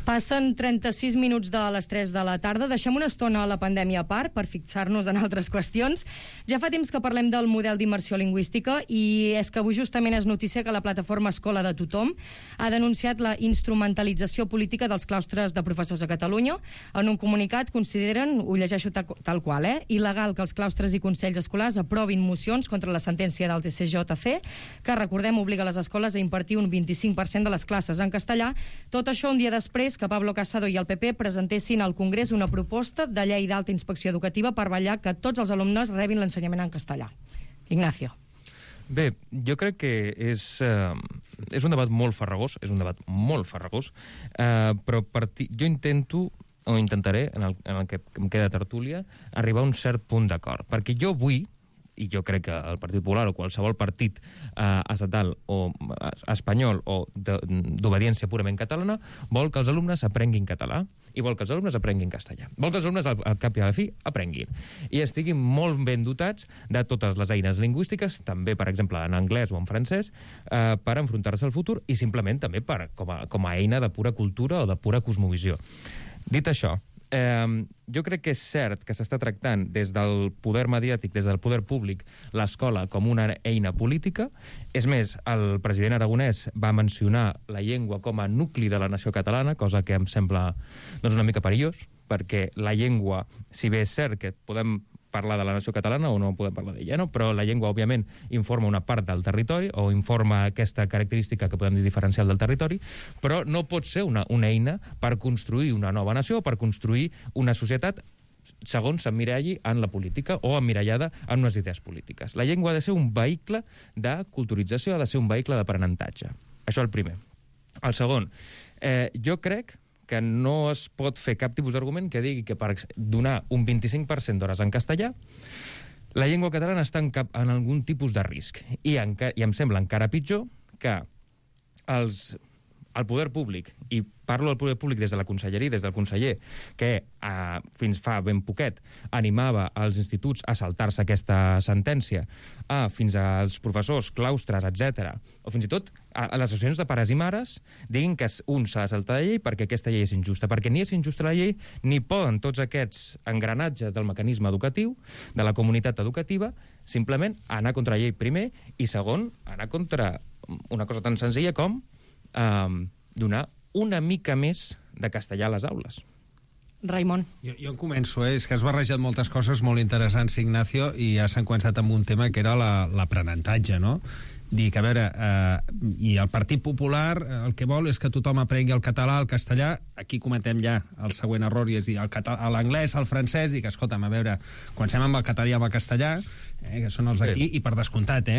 Passen 36 minuts de les 3 de la tarda. Deixem una estona a la pandèmia a part per fixar-nos en altres qüestions. Ja fa temps que parlem del model d'immersió lingüística i és que avui justament és notícia que la plataforma Escola de Tothom ha denunciat la instrumentalització política dels claustres de professors a Catalunya. En un comunicat consideren, ho llegeixo tal qual, il·legal que els claustres i consells escolars aprovin mocions contra la sentència del TCJC, que, recordem, obliga les escoles a impartir un 25% de les classes en castellà. Tot això un dia després que Pablo Casado i el PP presentessin al Congrés una proposta de llei d'alta inspecció educativa per vetllar que tots els alumnes rebin l'ensenyament en castellà. Ignacio. Bé, jo crec que és un debat molt farragós, però jo intentaré, en el que em queda tertúlia, arribar a un cert punt d'acord. Perquè jo vull, i jo crec que el Partit Popular o qualsevol partit estatal o espanyol o d'obediència purament catalana vol que els alumnes aprenguin català i vol que els alumnes aprenguin castellà. Vol que els alumnes, al cap i a la fi, aprenguin. I estiguin molt ben dotats de totes les eines lingüístiques, també, per exemple, en anglès o en francès, per enfrontar-se al futur i simplement també com a eina de pura cultura o de pura cosmovisió. Dit això, jo crec que és cert que s'està tractant des del poder mediàtic, des del poder públic, l'escola com una eina política. És més, el president Aragonès va mencionar la llengua com a nucli de la nació catalana, cosa que em sembla una mica perillós, perquè la llengua, si bé és cert que podem parlar de la nació catalana o no podem parlar d'ella, no? Però la llengua, òbviament, informa una part del territori o informa aquesta característica que podem dir diferencial del territori, però no pot ser una eina per construir una nova nació o per construir una societat segons s'emmiralli en la política o emmirallada en unes idees polítiques. La llengua ha de ser un vehicle de culturització, ha de ser un vehicle d'aprenentatge. Això el primer. El segon, jo crec que no es pot fer cap tipus d'argument que digui que per donar un 25% d'hores en castellà la llengua catalana està en algun tipus de risc. I em sembla encara pitjor que els el poder públic, i parlo del poder públic des de la conselleria, des del conseller, que fins fa ben poquet animava els instituts a saltar-se aquesta sentència, fins als professors, claustres, etc., o fins i tot a les associacions de pares i mares, diguin que un s'ha de saltar la llei perquè aquesta llei és injusta, perquè ni és injusta la llei, ni poden tots aquests engranatges del mecanisme educatiu, de la comunitat educativa, simplement anar contra la llei primer, i segon, anar contra una cosa tan senzilla com donar una mica més de castellà a les aules. Raimon. Jo en començo, és que has barrejat moltes coses molt interessants, Ignacio, i ja s'han començat amb un tema que era l'aprenentatge, no? Dic, a veure, i el Partit Popular el que vol és que tothom aprengui el català, el castellà. Aquí cometem ja el següent error, i és dir, l'anglès, el francès. Dic, escolta'm, a veure, comencem amb el català i amb el castellà, que són els d'aquí, i per descomptat,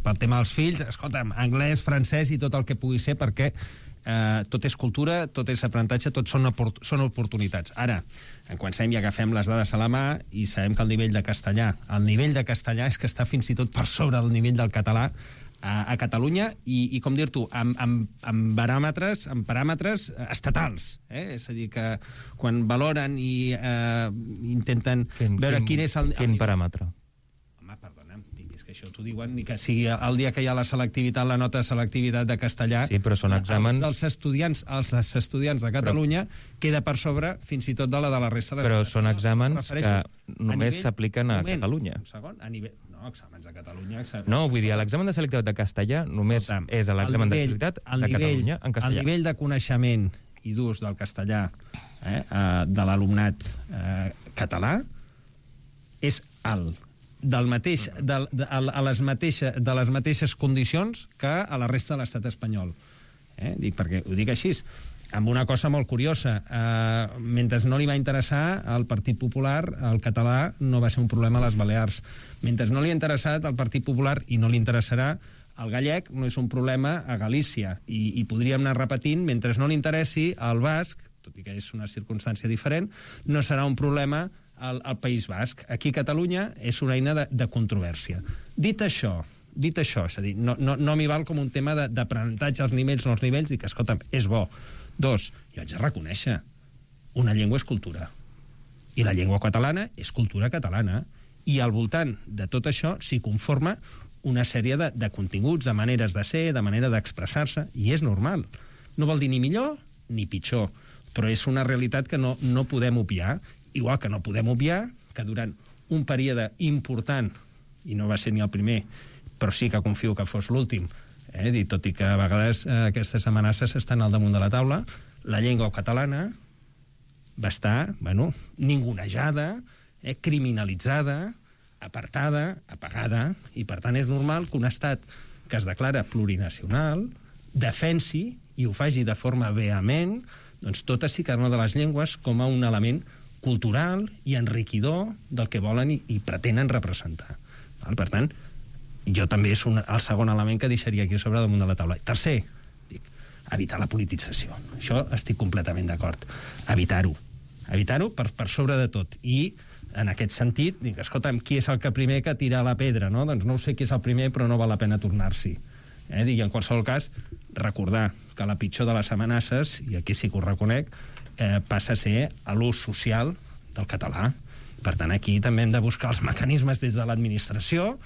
pel tema dels fills, escolta'm, anglès, francès i tot el que pugui ser, perquè tot és cultura, tot és aprenentatge, tot són oportunitats. Ara, en comencem i agafem les dades a la mà i sabem que el nivell de castellà és que està fins i tot per sobre del nivell del català a Catalunya, i com dir-t'ho, amb paràmetres estatals. És a dir, que quan valoren i intenten veure quin és el... Quin paràmetre? Home, perdona'm, és que això t'ho diuen, ni que sigui el dia que hi ha la selectivitat, la nota de selectivitat de castellà... Sí, però són exàmens... Els estudiants de Catalunya queda per sobre fins i tot de la resta de les... Però són exàmens que només s'apliquen a Catalunya. Un segon, a nivell... No, exàmens a Catalunya... No, vull dir, l'examen de selectivitat de castellà només és l'examen de selectivitat de Catalunya en castellà. El nivell de coneixement i d'ús del castellà de l'alumnat català és alt, de les mateixes condicions que a la resta de l'estat espanyol. Perquè ho dic així, amb una cosa molt curiosa. Mentre no li va interessar al Partit Popular, el català no va ser un problema a les Balears. Mentre no li ha interessat al Partit Popular, i no li interessarà, el gallec no és un problema a Galícia. I podríem anar repetint, mentre no li interessi al basc, tot i que és una circumstància diferent, no serà un problema al País Basc. Aquí a Catalunya és una eina de controvèrsia. Dit això, és a dir, no m'hi val com un tema d'aprenentatge als nivells, no als nivells, i que, escolta'm, és bo. 2, jo haig de reconèixer, una llengua és cultura. I la llengua catalana és cultura catalana. I al voltant de tot això s'hi conforma una sèrie de continguts, de maneres de ser, de manera d'expressar-se, i és normal. No vol dir ni millor ni pitjor, però és una realitat que no podem obviar, igual que no podem obviar que durant un període important, i no va ser ni el primer, però sí que confio que fos l'últim, tot i que a vegades aquestes amenaces estan al damunt de la taula, la llengua catalana va estar, ningunejada, criminalitzada, apartada, apagada, i per tant és normal que un estat que es declara plurinacional defensi i ho faci de forma vehement doncs totes i cada una de les llengües com a un element cultural i enriquidor del que volen i pretenen representar. Per tant, jo també és el segon element que deixaria aquí sobre damunt de la taula. Tercer, evitar la politització. Això estic completament d'acord. Evitar-ho per sobre de tot. I en aquest sentit, dic, escolta'm, qui és el que primer que tira la pedra, no? Doncs no ho sé qui és el primer, però no val la pena tornar-s'hi. I en qualsevol cas, recordar que la pitjor de les amenaces, i aquí sí que ho reconec, passa a ser l'ús social del català. Per tant, aquí també hem de buscar els mecanismes des de l'administració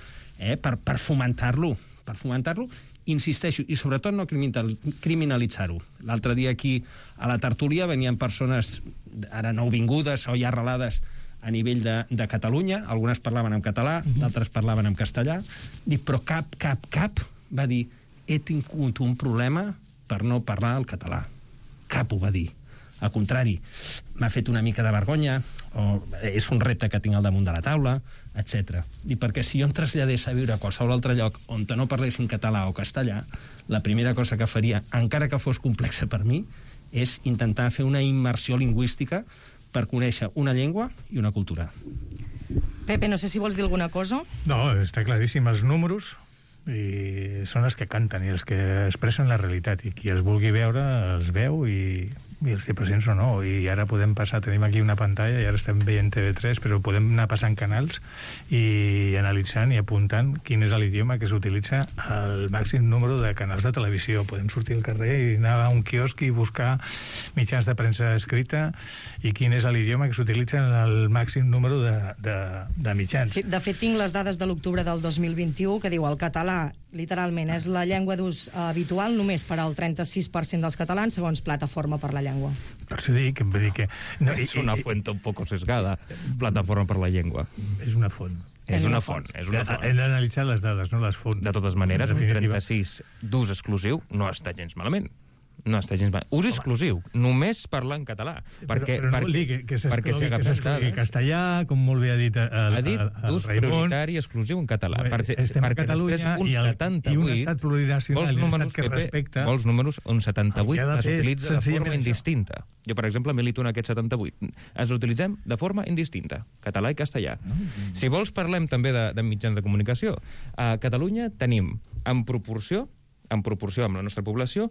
per fomentar-lo. Per fomentar-lo, insisteixo, i sobretot no criminalitzar-ho. L'altre dia aquí a la tertúlia venien persones ara nouvingudes o ja arrelades a nivell de Catalunya, algunes parlaven en català, d'altres parlaven en castellà, dic, però cap va dir, he tingut un problema per no parlar el català. Cap ho va dir. Al contrari, m'ha fet una mica de vergonya, o és un repte que tinc al damunt de la taula, etc. I perquè si jo em traslladés a viure a qualsevol altre lloc on no parlessin català o castellà, la primera cosa que faria, encara que fos complexa per mi, és intentar fer una immersió lingüística per conèixer una llengua i una cultura. Pepe, no sé si vols dir alguna cosa. No, està claríssim. Els números són els que canten i els que expressen la realitat, i qui els vulgui veure els veu i i els 10% o no, i ara podem passar, tenim aquí una pantalla i ara estem veient TV3, però podem anar passant canals i analitzant i apuntant quin és l'idioma que s'utilitza al màxim número de canals de televisió. Podem sortir al carrer i anar a un quiosc i buscar mitjans de premsa escrita i quin és l'idioma que s'utilitza en el màxim número de mitjans. Sí, de fet, tinc les dades de l'octubre del 2021 que diu el català, literalment, és la llengua d'ús habitual només per al 36% dels catalans, segons Plataforma per la Llengua. Per això dic, vull dir que... No, és una fuente un poco sesgada, Plataforma per la Llengua. És una font. És una font. Hem d'analitzar les dades, no les fonts. De totes maneres, un 36 d'ús exclusiu no està gens malament. No està gens malament. Ús exclusiu, només parlar en català. Però no vol dir que s'exclogui castellà, com molt bé ha dit el Raimon. Ha dit ús prioritari exclusiu en català. Estem a Catalunya i un estat plurinacional i un estat que respecta... Vols números on 78 s'utilitza de forma indistinta. Jo, per exemple, milito en aquest 78. Ens l'utilitzem de forma indistinta, català i castellà. Si vols, parlem també de mitjans de comunicació. A Catalunya tenim, en proporció amb la nostra població,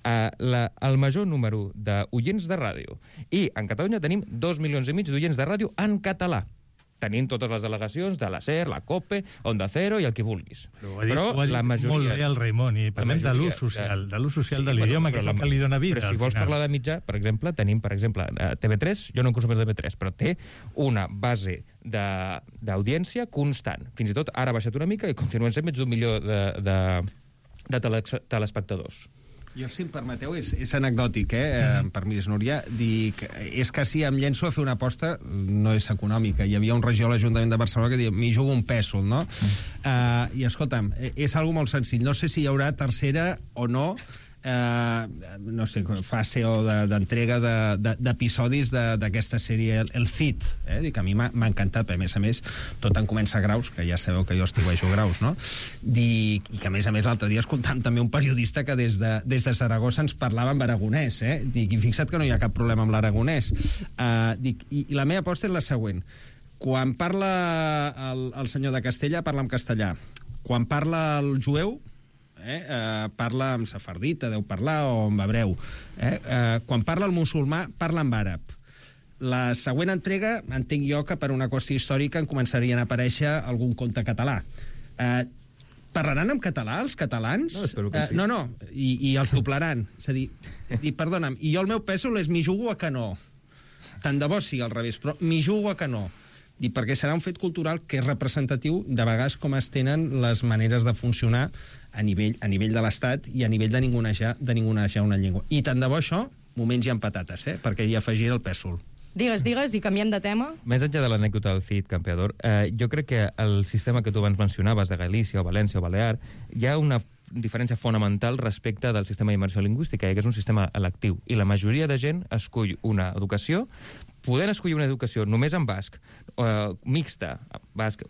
el major número d'oients de ràdio. I en Catalunya tenim 2,5 milions d'oients de ràdio en català. Tenim totes les delegacions de la SER, la COPE, Onda Cero i el que vulguis. Però la majoria... Molt bé el Raimon, i parlem de l'ús social, de l'idioma, que és el que li dona vida. Però si vols parlar de mitjà, per exemple, tenim, TV3, jo no en consumeixo TV3, però té una base d'audiència constant. Fins i tot ara ha baixat una mica i continuen sent més d'1 milió de telespectadors. Jo, si em permeteu, és anecdòtic, permís, Núria, dic, és que si em llenço a fer una aposta, no és econòmica. Hi havia un regidor a l'Ajuntament de Barcelona que deia, m'hi jugo un pèsol, no? I, escolta'm, és algo molt senzill. No sé si hi haurà tercera o no, no sé, fase o d'entrega d'episodis d'aquesta sèrie, el Cid, dic, a mi m'ha encantat, a més, tot en comença a Graus, que ja sabeu que jo estiuejo Graus, no? Dic, i que a més l'altre dia escoltàvem també un periodista que des de Saragossa ens parlava en aragonès, dic, i fixa't que no hi ha cap problema amb l'aragonès. Dic, i la meva aposta és la següent. Quan parla el senyor de Castella, parla en castellà. Quan parla el jueu, parla en sefardita, deu parlar, o en hebreu. Quan parla el musulmà, parla en àrab. La següent entrega, entenc jo que per una qüestió històrica en començarien a aparèixer algun conte català. Parlaran en català, els catalans? No, espero que sí. No, i els doblaran. És a dir, perdona'm, i jo el meu pèsol és m'hi jugo a que no. Tant de bo sigui al revés, però m'hi jugo a que no. Perquè serà un fet cultural que és representatiu de vegades com es tenen les maneres de funcionar a nivell de l'Estat i a nivell de ningunejar una llengua. I tant de bo això m'ho mengi amb patates, perquè hi afegiré el pèsol. Digues, i canviem de tema. Més enllà de l'anècdota del Cid, campeador, jo crec que el sistema que tu abans mencionaves, de Galícia o València o Balear, hi ha una diferència fonamental respecte del sistema d'immersió lingüística, que és un sistema electiu. I la majoria de gent escull una educació, podent escollir una educació només en basc, mixta, basc,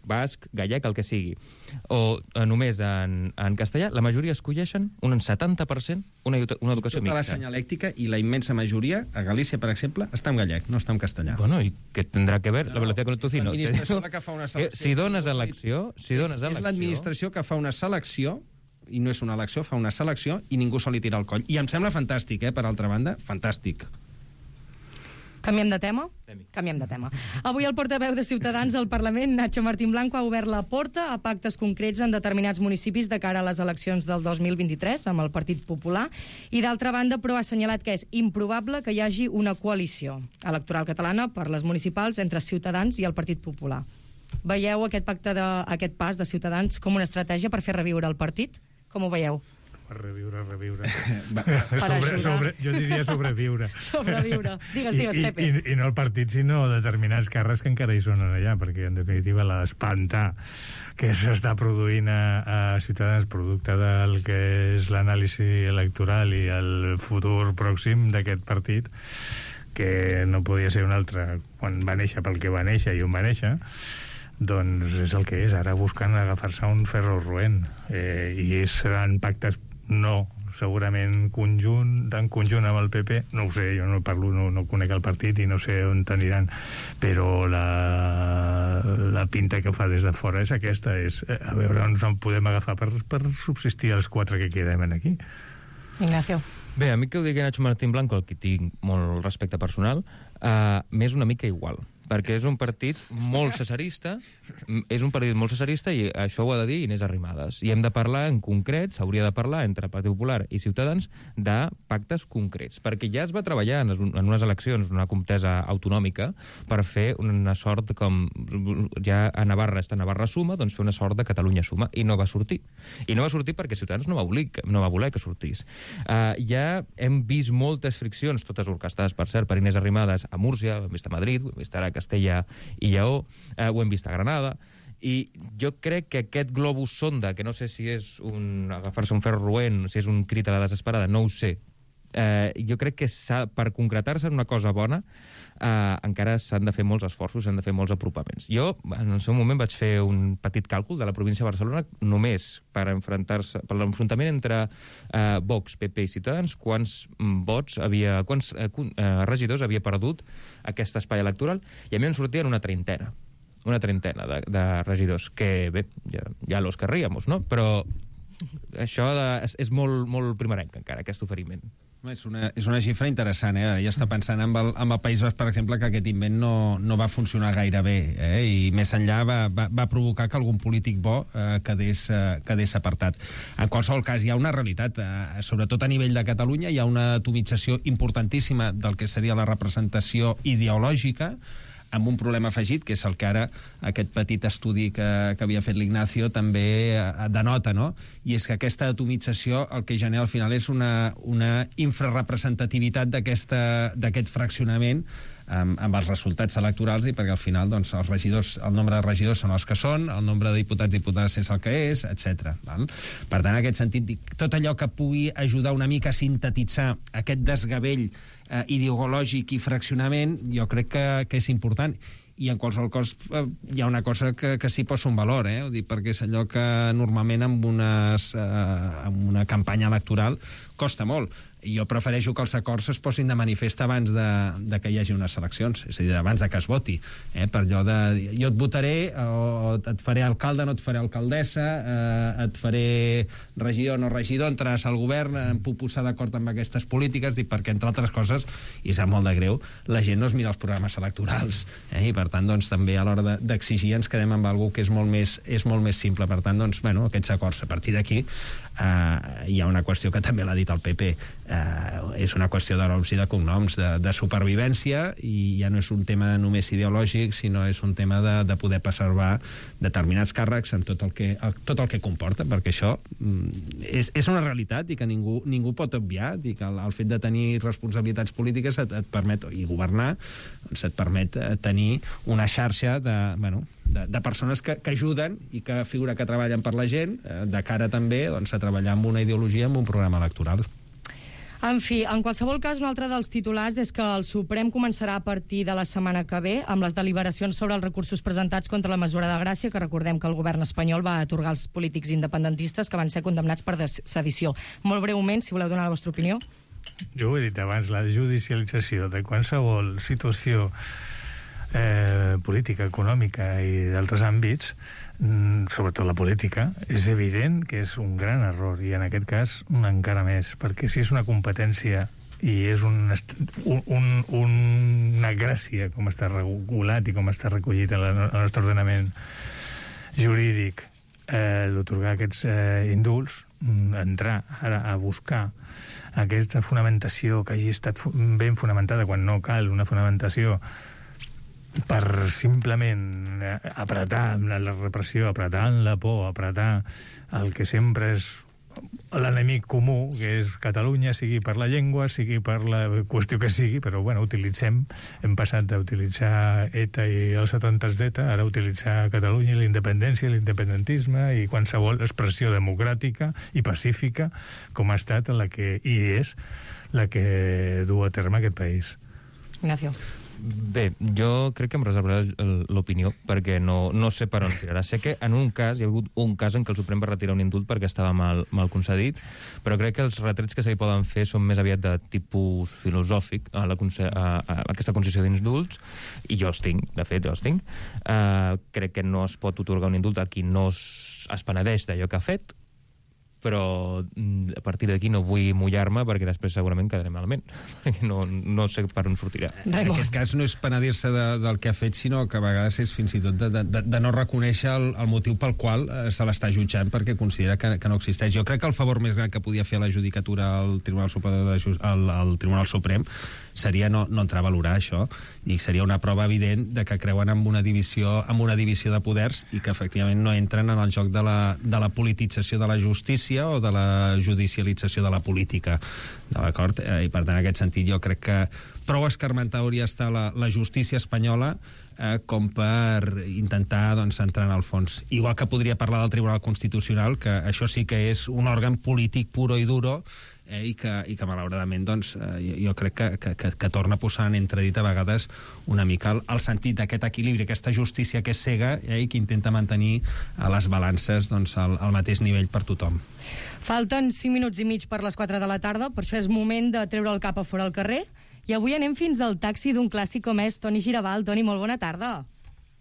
gallec, el que sigui, o només en castellà, la majoria escolleixen un 70% una educació mixta. Tota la senyalèctica i la immensa majoria, a Galícia, per exemple, està en gallec, no està en castellà. Bueno, i què tindrà que ver la velocidad con el tocino? L'administració que fa una selecció. Si dones elecció... És l'administració que fa una selecció, i no és una elecció, fa una selecció i ningú se li tira al coll. I em sembla fantàstic, per altra banda, fantàstic. Canviem de tema? Canviem de tema. Avui el portaveu de Ciutadans al Parlament, Nacho Martín Blanco, ha obert la porta a pactes concrets en determinats municipis de cara a les eleccions del 2023 amb el Partit Popular i, d'altra banda, però ha assenyalat que és improbable que hi hagi una coalició electoral catalana per les municipals entre Ciutadans i el Partit Popular. Veieu aquest pacte, aquest pas de Ciutadans com una estratègia per fer reviure el partit? Com ho veieu? Reviure. Jo diria sobreviure. Sobreviure. Digues, Pepe. I no el partit, sinó determinats càrrecs que encara hi són allà, perquè, en definitiva, l'espanta que s'està produint a Ciutadans producte del que és l'anàlisi electoral i el futur pròxim d'aquest partit, que no podia ser un altre quan va néixer pel que va néixer i on va néixer, doncs és el que és, ara buscant agafar-se un ferro roent, i seran pactes segurament en conjunt amb el PP, no ho sé, jo no parlo, no conec el partit i no sé on t'aniran, però la pinta que fa des de fora és aquesta, és a veure on podem agafar per subsistir els 4 que quedem aquí. Ignacio. Bé, a mi que ho digui Nacho Martín Blanco, el que tinc molt respecte personal, m'és una mica igual, perquè és un partit molt cesarista, i això ho ha de dir Inés Arrimadas. I hem de parlar en concret, s'hauria de parlar entre Partit Popular i Ciutadans de pactes concrets, perquè ja es va treballar en unes eleccions, una contesa autonòmica, per fer una sort com ja a Navarra està Navarra suma, doncs fer una sort de Catalunya suma, i no va sortir. I no va sortir perquè Ciutadans no va voler que sortís. Ja hem vist moltes friccions, totes orquestades, per cert, per Inés Arrimadas a Múrcia, ho hem vist a Madrid, ho hem vist ara a Castella i Lleó, ho hem vist a Granada, i jo crec que aquest globus sonda, que no sé si és agafar-se un ferro roent, si és un crit a la desesperada, no ho sé, jo crec que per concretar-se en una cosa bona encara s'han de fer molts esforços, s'han de fer molts apropaments. Jo, en el seu moment, vaig fer un petit càlcul de la província de Barcelona només per l'enfrontament entre Vox, PP i Ciutadans, quants regidors havia perdut aquest espai electoral, i a mi em sortien una trentena de regidors, que bé, ja los querríamos, no? Però això és molt primerenc encara, aquest oferiment. És una xifra interessant, Ja està pensant amb el País Basc, per exemple, que aquest invent no va funcionar gaire bé, i més enllà va provocar que algun polític bo quedés apartat. En qualsevol cas, hi ha una realitat, sobretot a nivell de Catalunya, hi ha una atomització importantíssima del que seria la representació ideològica, amb un problema afegit, que és el que ara aquest petit estudi que havia fet l'Ignacio també denota, no? I és que aquesta atomització el que genera al final és una infrarrepresentativitat d'aquest fraccionament amb els resultats electorals, i perquè al final doncs, el nombre de regidors són els que són, el nombre de diputats i diputades és el que és, etc. Per tant, en aquest sentit, tot allò que pugui ajudar una mica a sintetitzar aquest desgavell ideològic i fraccionament, jo crec que és important. I en qualsevol cas hi ha una cosa que sí posa un valor, ho dic perquè és allò que normalment amb una campanya electoral costa molt. Jo prefereixo que els acords es posin de manifest abans de que hi hagi unes eleccions, és a dir, abans de que es voti, per allò de jo et votaré, o et faré alcalde, no et faré alcaldessa, et faré regidor, no regidor, entraràs al govern, em puc posar d'acord amb aquestes polítiques, perquè, entre altres coses, i sap molt de greu, la gent no es mira els programes electorals, i per tant, doncs, també a l'hora d'exigir ens quedem amb alguna cosa que és molt més simple. Per tant, doncs, aquests acords, a partir d'aquí, hi ha una qüestió que també l'ha dit el PP, és una qüestió de noms i de cognoms, de supervivència, i ja no és un tema només ideològic, sinó és un tema de poder preservar determinats càrrecs en tot el que comporta, perquè això és una realitat i que ningú pot obviar, i que el fet de tenir responsabilitats polítiques et permet, i governar, doncs et permet tenir una xarxa de persones que ajuden i que figura que treballen per la gent, de cara també a treballar amb una ideologia, amb un programa electoral. En fi, en qualsevol cas, un altre dels titulars és que el Suprem començarà a partir de la setmana que ve amb les deliberacions sobre els recursos presentats contra la mesura de Gràcia, que recordem que el govern espanyol va atorgar als polítics independentistes que van ser condemnats per sedició. Molt breument, si voleu donar la vostra opinió. Jo ho he dit abans, la judicialització de qualsevol situació política, econòmica i d'altres àmbits, sobretot la política, és evident que és un gran error, i en aquest cas encara més, perquè si és una competència i és una gràcia com està regulat i com està recollit en el nostre ordenament jurídic, d'otorgar aquests indults, entrar ara a buscar aquesta fonamentació que hagi estat ben fonamentada quan no cal una fonamentació per simplement apretar la repressió, apretar la por, apretar el que sempre és l'enemic comú, que és Catalunya, sigui per la llengua, sigui per la qüestió que sigui, però bueno, hem passat d'utilitzar ETA i els atemptats d'ETA, ara utilitzar Catalunya i la independència, l'independentisme i qualsevol expressió democràtica i pacífica com ha estat i és la que du a terme aquest país. Ignacio. Bé, jo crec que em reservaré l'opinió, perquè no sé per on tirarà. Sé que en un cas, hi ha hagut un cas en què el Suprem va retirar un indult perquè estava mal concedit, però crec que els retrets que se li poden fer són més aviat de tipus filosòfic a aquesta concessió d'indults, i jo els tinc, de fet, crec que no es pot atorgar un indult a qui no es penedeix d'allò que ha fet, però a partir d'aquí no vull mullar-me perquè després segurament quedaré malament. No sé per on sortirà. En aquest cas no és penedir-se del que ha fet, sinó que a vegades és fins i tot de no reconèixer el motiu pel qual se l'està jutjant perquè considera que no existeix. Jo crec que el favor més gran que podia fer a la judicatura al Tribunal Suprem seria no entrar a valorar això, i seria una prova evident de que creuen en una divisió de poders i que efectivament no entren en el joc de la politització de la justícia o de la judicialització de la política, d'acord? I per tant, en aquest sentit, jo crec que prou escarmentada hauria estar la justícia espanyola com per intentar entrar en el fons. Igual que podria parlar del Tribunal Constitucional, que això sí que és un òrgan polític puro i duro, i que malauradament jo crec que torna a posar en entredit a vegades una mica el sentit d'aquest equilibri, aquesta justícia que és cega i que intenta mantenir a les balances al mateix nivell per tothom. Falten 5 minuts i mig per les 4 de la tarda, per això és moment de treure el cap a fora al carrer, i avui anem fins al taxi d'un clàssic com és Toni Girabal. Toni, molt bona tarda.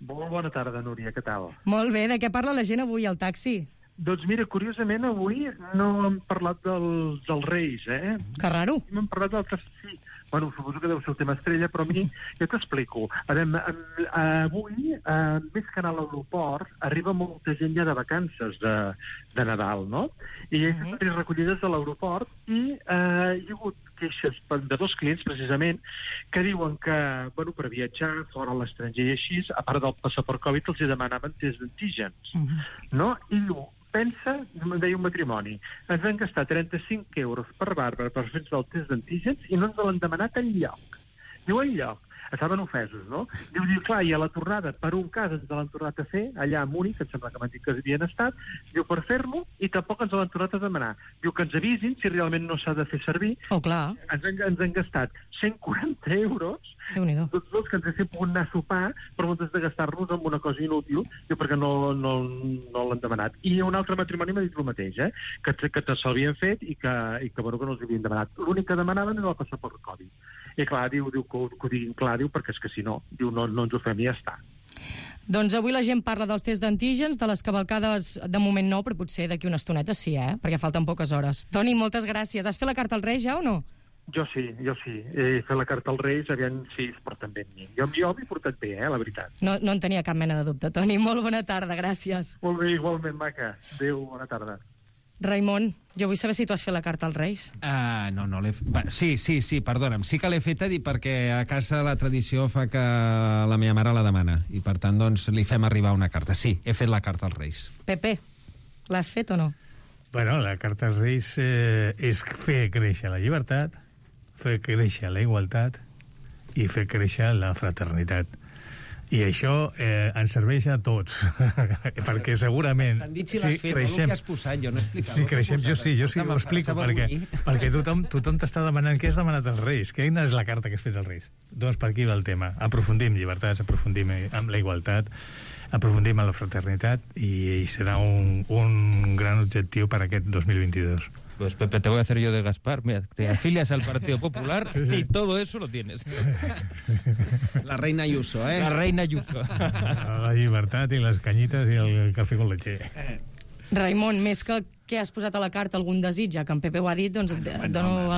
Molt bona tarda, Núria, què tal? Molt bé, de què parla la gent avui al taxi? Doncs mira, curiosament, avui no hem parlat dels Reis, eh? Que raro. Hem parlat d'altres... Sí. Bueno, suposo que deu ser el tema estrella, però a mi ja t'explico. Avui, més que anar a l'aeroport, arriba molta gent ja de vacances de Nadal, no? I hi ha recollides a l'aeroport i hi ha hagut queixes de 2 clients, precisament, que diuen que, bueno, per viatjar fora a l'estranger i així, a part del passaport Covid, els demanaven test d'antígens, no? I diu, pensa, em deia un matrimoni, ens han gastat 35 euros per Bàrbara per fer-nos el test d'antígens i no ens l'han demanat enlloc. Diu, enlloc. Estaven ofesos, no? Diu, clar, i a la tornada, per un cas ens l'han tornat a fer, allà a Múnich, em sembla que m'han dit que havien estat, diu, per fer-lo, i tampoc ens l'han tornat a demanar. Diu que ens avisin si realment no s'ha de fer servir. Oh, clar. Ens han gastat 140 euros, tots dos que ens haguéssim pogut anar a sopar, però moltes de gastar-nos en una cosa inútil, diu, perquè no l'han demanat. I un altre matrimoni m'ha dit el mateix, que se l'havien fet i que no els havien demanat. L'únic que demanaven era el passaport Covid. I clar, diu que ho diguin clar, diu, perquè és que si no, diu, no ens ho fem i ja està. Doncs avui la gent parla dels tests d'antígens, de les cavalcades de moment no, però potser d'aquí una estoneta sí, perquè falten poques hores. Toni, moltes gràcies. Has fet la carta als Reis ja o no? Jo sí. He fet la carta als Reis, aviam si es porten bé amb mi. Jo m'he portat bé, la veritat. No en tenia cap mena de dubte. Toni, molt bona tarda, gràcies. Molt bé, igualment, maca. Adéu, bona tarda. Raimon, jo vull saber si tu has fet la carta als Reis. No l'he fet. Sí, perdona'm. Sí que l'he feta perquè a casa la tradició fa que la meva mare la demana i per tant li fem arribar una carta. Sí, he fet la carta als Reis. Pepe, l'has fet o no? Bueno, la carta als Reis és fer créixer la llibertat, fer créixer la igualtat i fer créixer la fraternitat. I això ens serveix a tots, perquè segurament... T'han dit si l'has fet, el que has posat, jo no he explicat. Sí, creixem, jo sí ho explico, perquè tothom t'està demanant què has demanat als Reis, quina és la carta que has fet als Reis. Doncs per aquí va el tema. Aprofundim llibertats, aprofundim amb la igualtat, aprofundim en la fraternitat i serà un gran objectiu per aquest 2022. Pues Pepe, te voy a hacer yo de Gaspar. Mira, te afilias al Partido Popular y todo eso lo tienes. La reina Ayuso, La reina Ayuso. La llibertat i les canyites i el cafè con leche. Raimon, més que has posat a la carta algun desig, ja que en Pepe ho ha dit, doncs et dono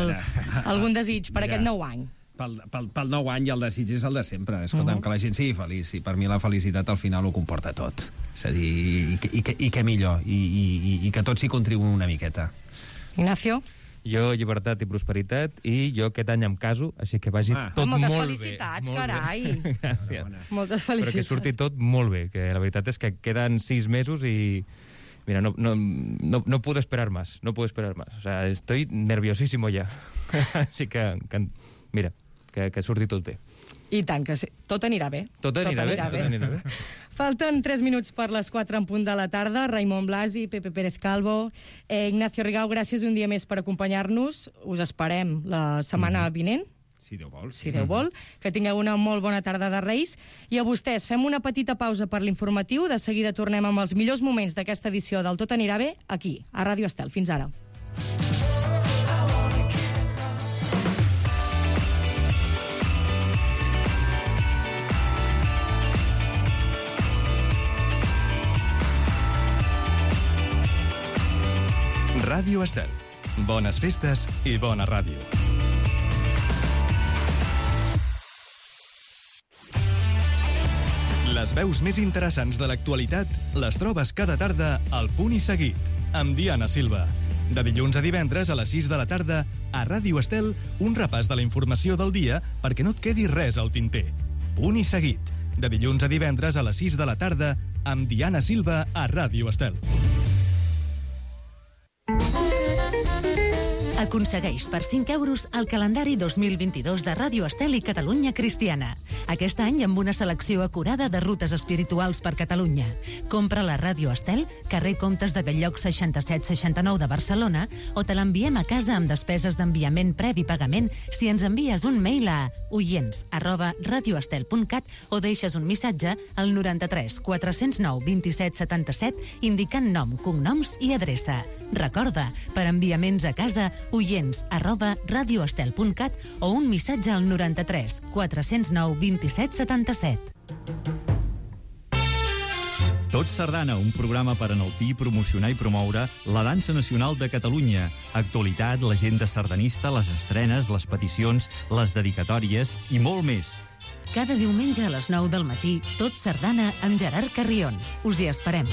algun desig per aquest nou any. Pel nou any i el desig és el de sempre. Escolta'm, que la gent sigui feliç, i per mi la felicitat al final ho comporta tot. És a dir, i què millor, i que tots hi contribuïm una miqueta. Ignacio? Jo, llibertat i prosperitat, i jo aquest any em caso, així que vagi tot molt bé. Moltes felicitats, carai. Gràcies. Moltes felicitats. Però que surti tot molt bé, que la veritat és que queden 6 mesos i... Mira, no puedo esperar más, O sea, estoy nerviosísimo ya. Així que mira, que surti tot bé. I tant, que sí. Tot anirà bé. Tot anirà bé. Falten 3 minuts per les 4 en punt de la tarda. Raimon Blasi, Pepe Pérez Calvo, Ignacio Rigau, gràcies un dia més per acompanyar-nos. Us esperem la setmana vinent. Si Déu vol. Si Déu vol. Que tingueu una molt bona tarda de Reis. I a vostès, fem una petita pausa per l'informatiu. De seguida tornem amb els millors moments d'aquesta edició del Tot anirà bé, aquí, a Ràdio Estel. Fins ara. Ràdio Ràdio Estel. Bones festes i bona ràdio. Les veus més interessants de l'actualitat les trobes cada tarda al Punt i Seguit, amb Diana Silva. De dilluns a divendres a les 6 de la tarda, a Ràdio Estel, un repàs de la informació del dia perquè no et quedi res al tinter. Punt i Seguit. De dilluns a divendres a les 6 de la tarda, amb Diana Silva a Ràdio Estel. Aconsegueix per 5 euros el calendari 2022 de Ràdio Estel i Catalunya Cristiana. Aquest any amb una selecció acurada de rutes espirituals per Catalunya. Compra la Ràdio Estel, carrer Comtes de Belllloc 6769 de Barcelona, o te l'enviem a casa amb despeses d'enviament previ pagament si ens envies un mail a oients@radioestel.cat o deixes un missatge al 93 409 27 77 indicant nom, cognoms i adreça. Recorda, per enviaments a casa, oients@radioestel.cat o un missatge al 93 409 27 77. Tot Sardana, un programa per enaltir, promocionar i promoure la dansa nacional de Catalunya. Actualitat, l'agenda sardanista, les estrenes, les peticions, les dedicatòries i molt més. Cada diumenge a les 9 del matí, Tot Sardana amb Gerard Carrion. Us hi esperem.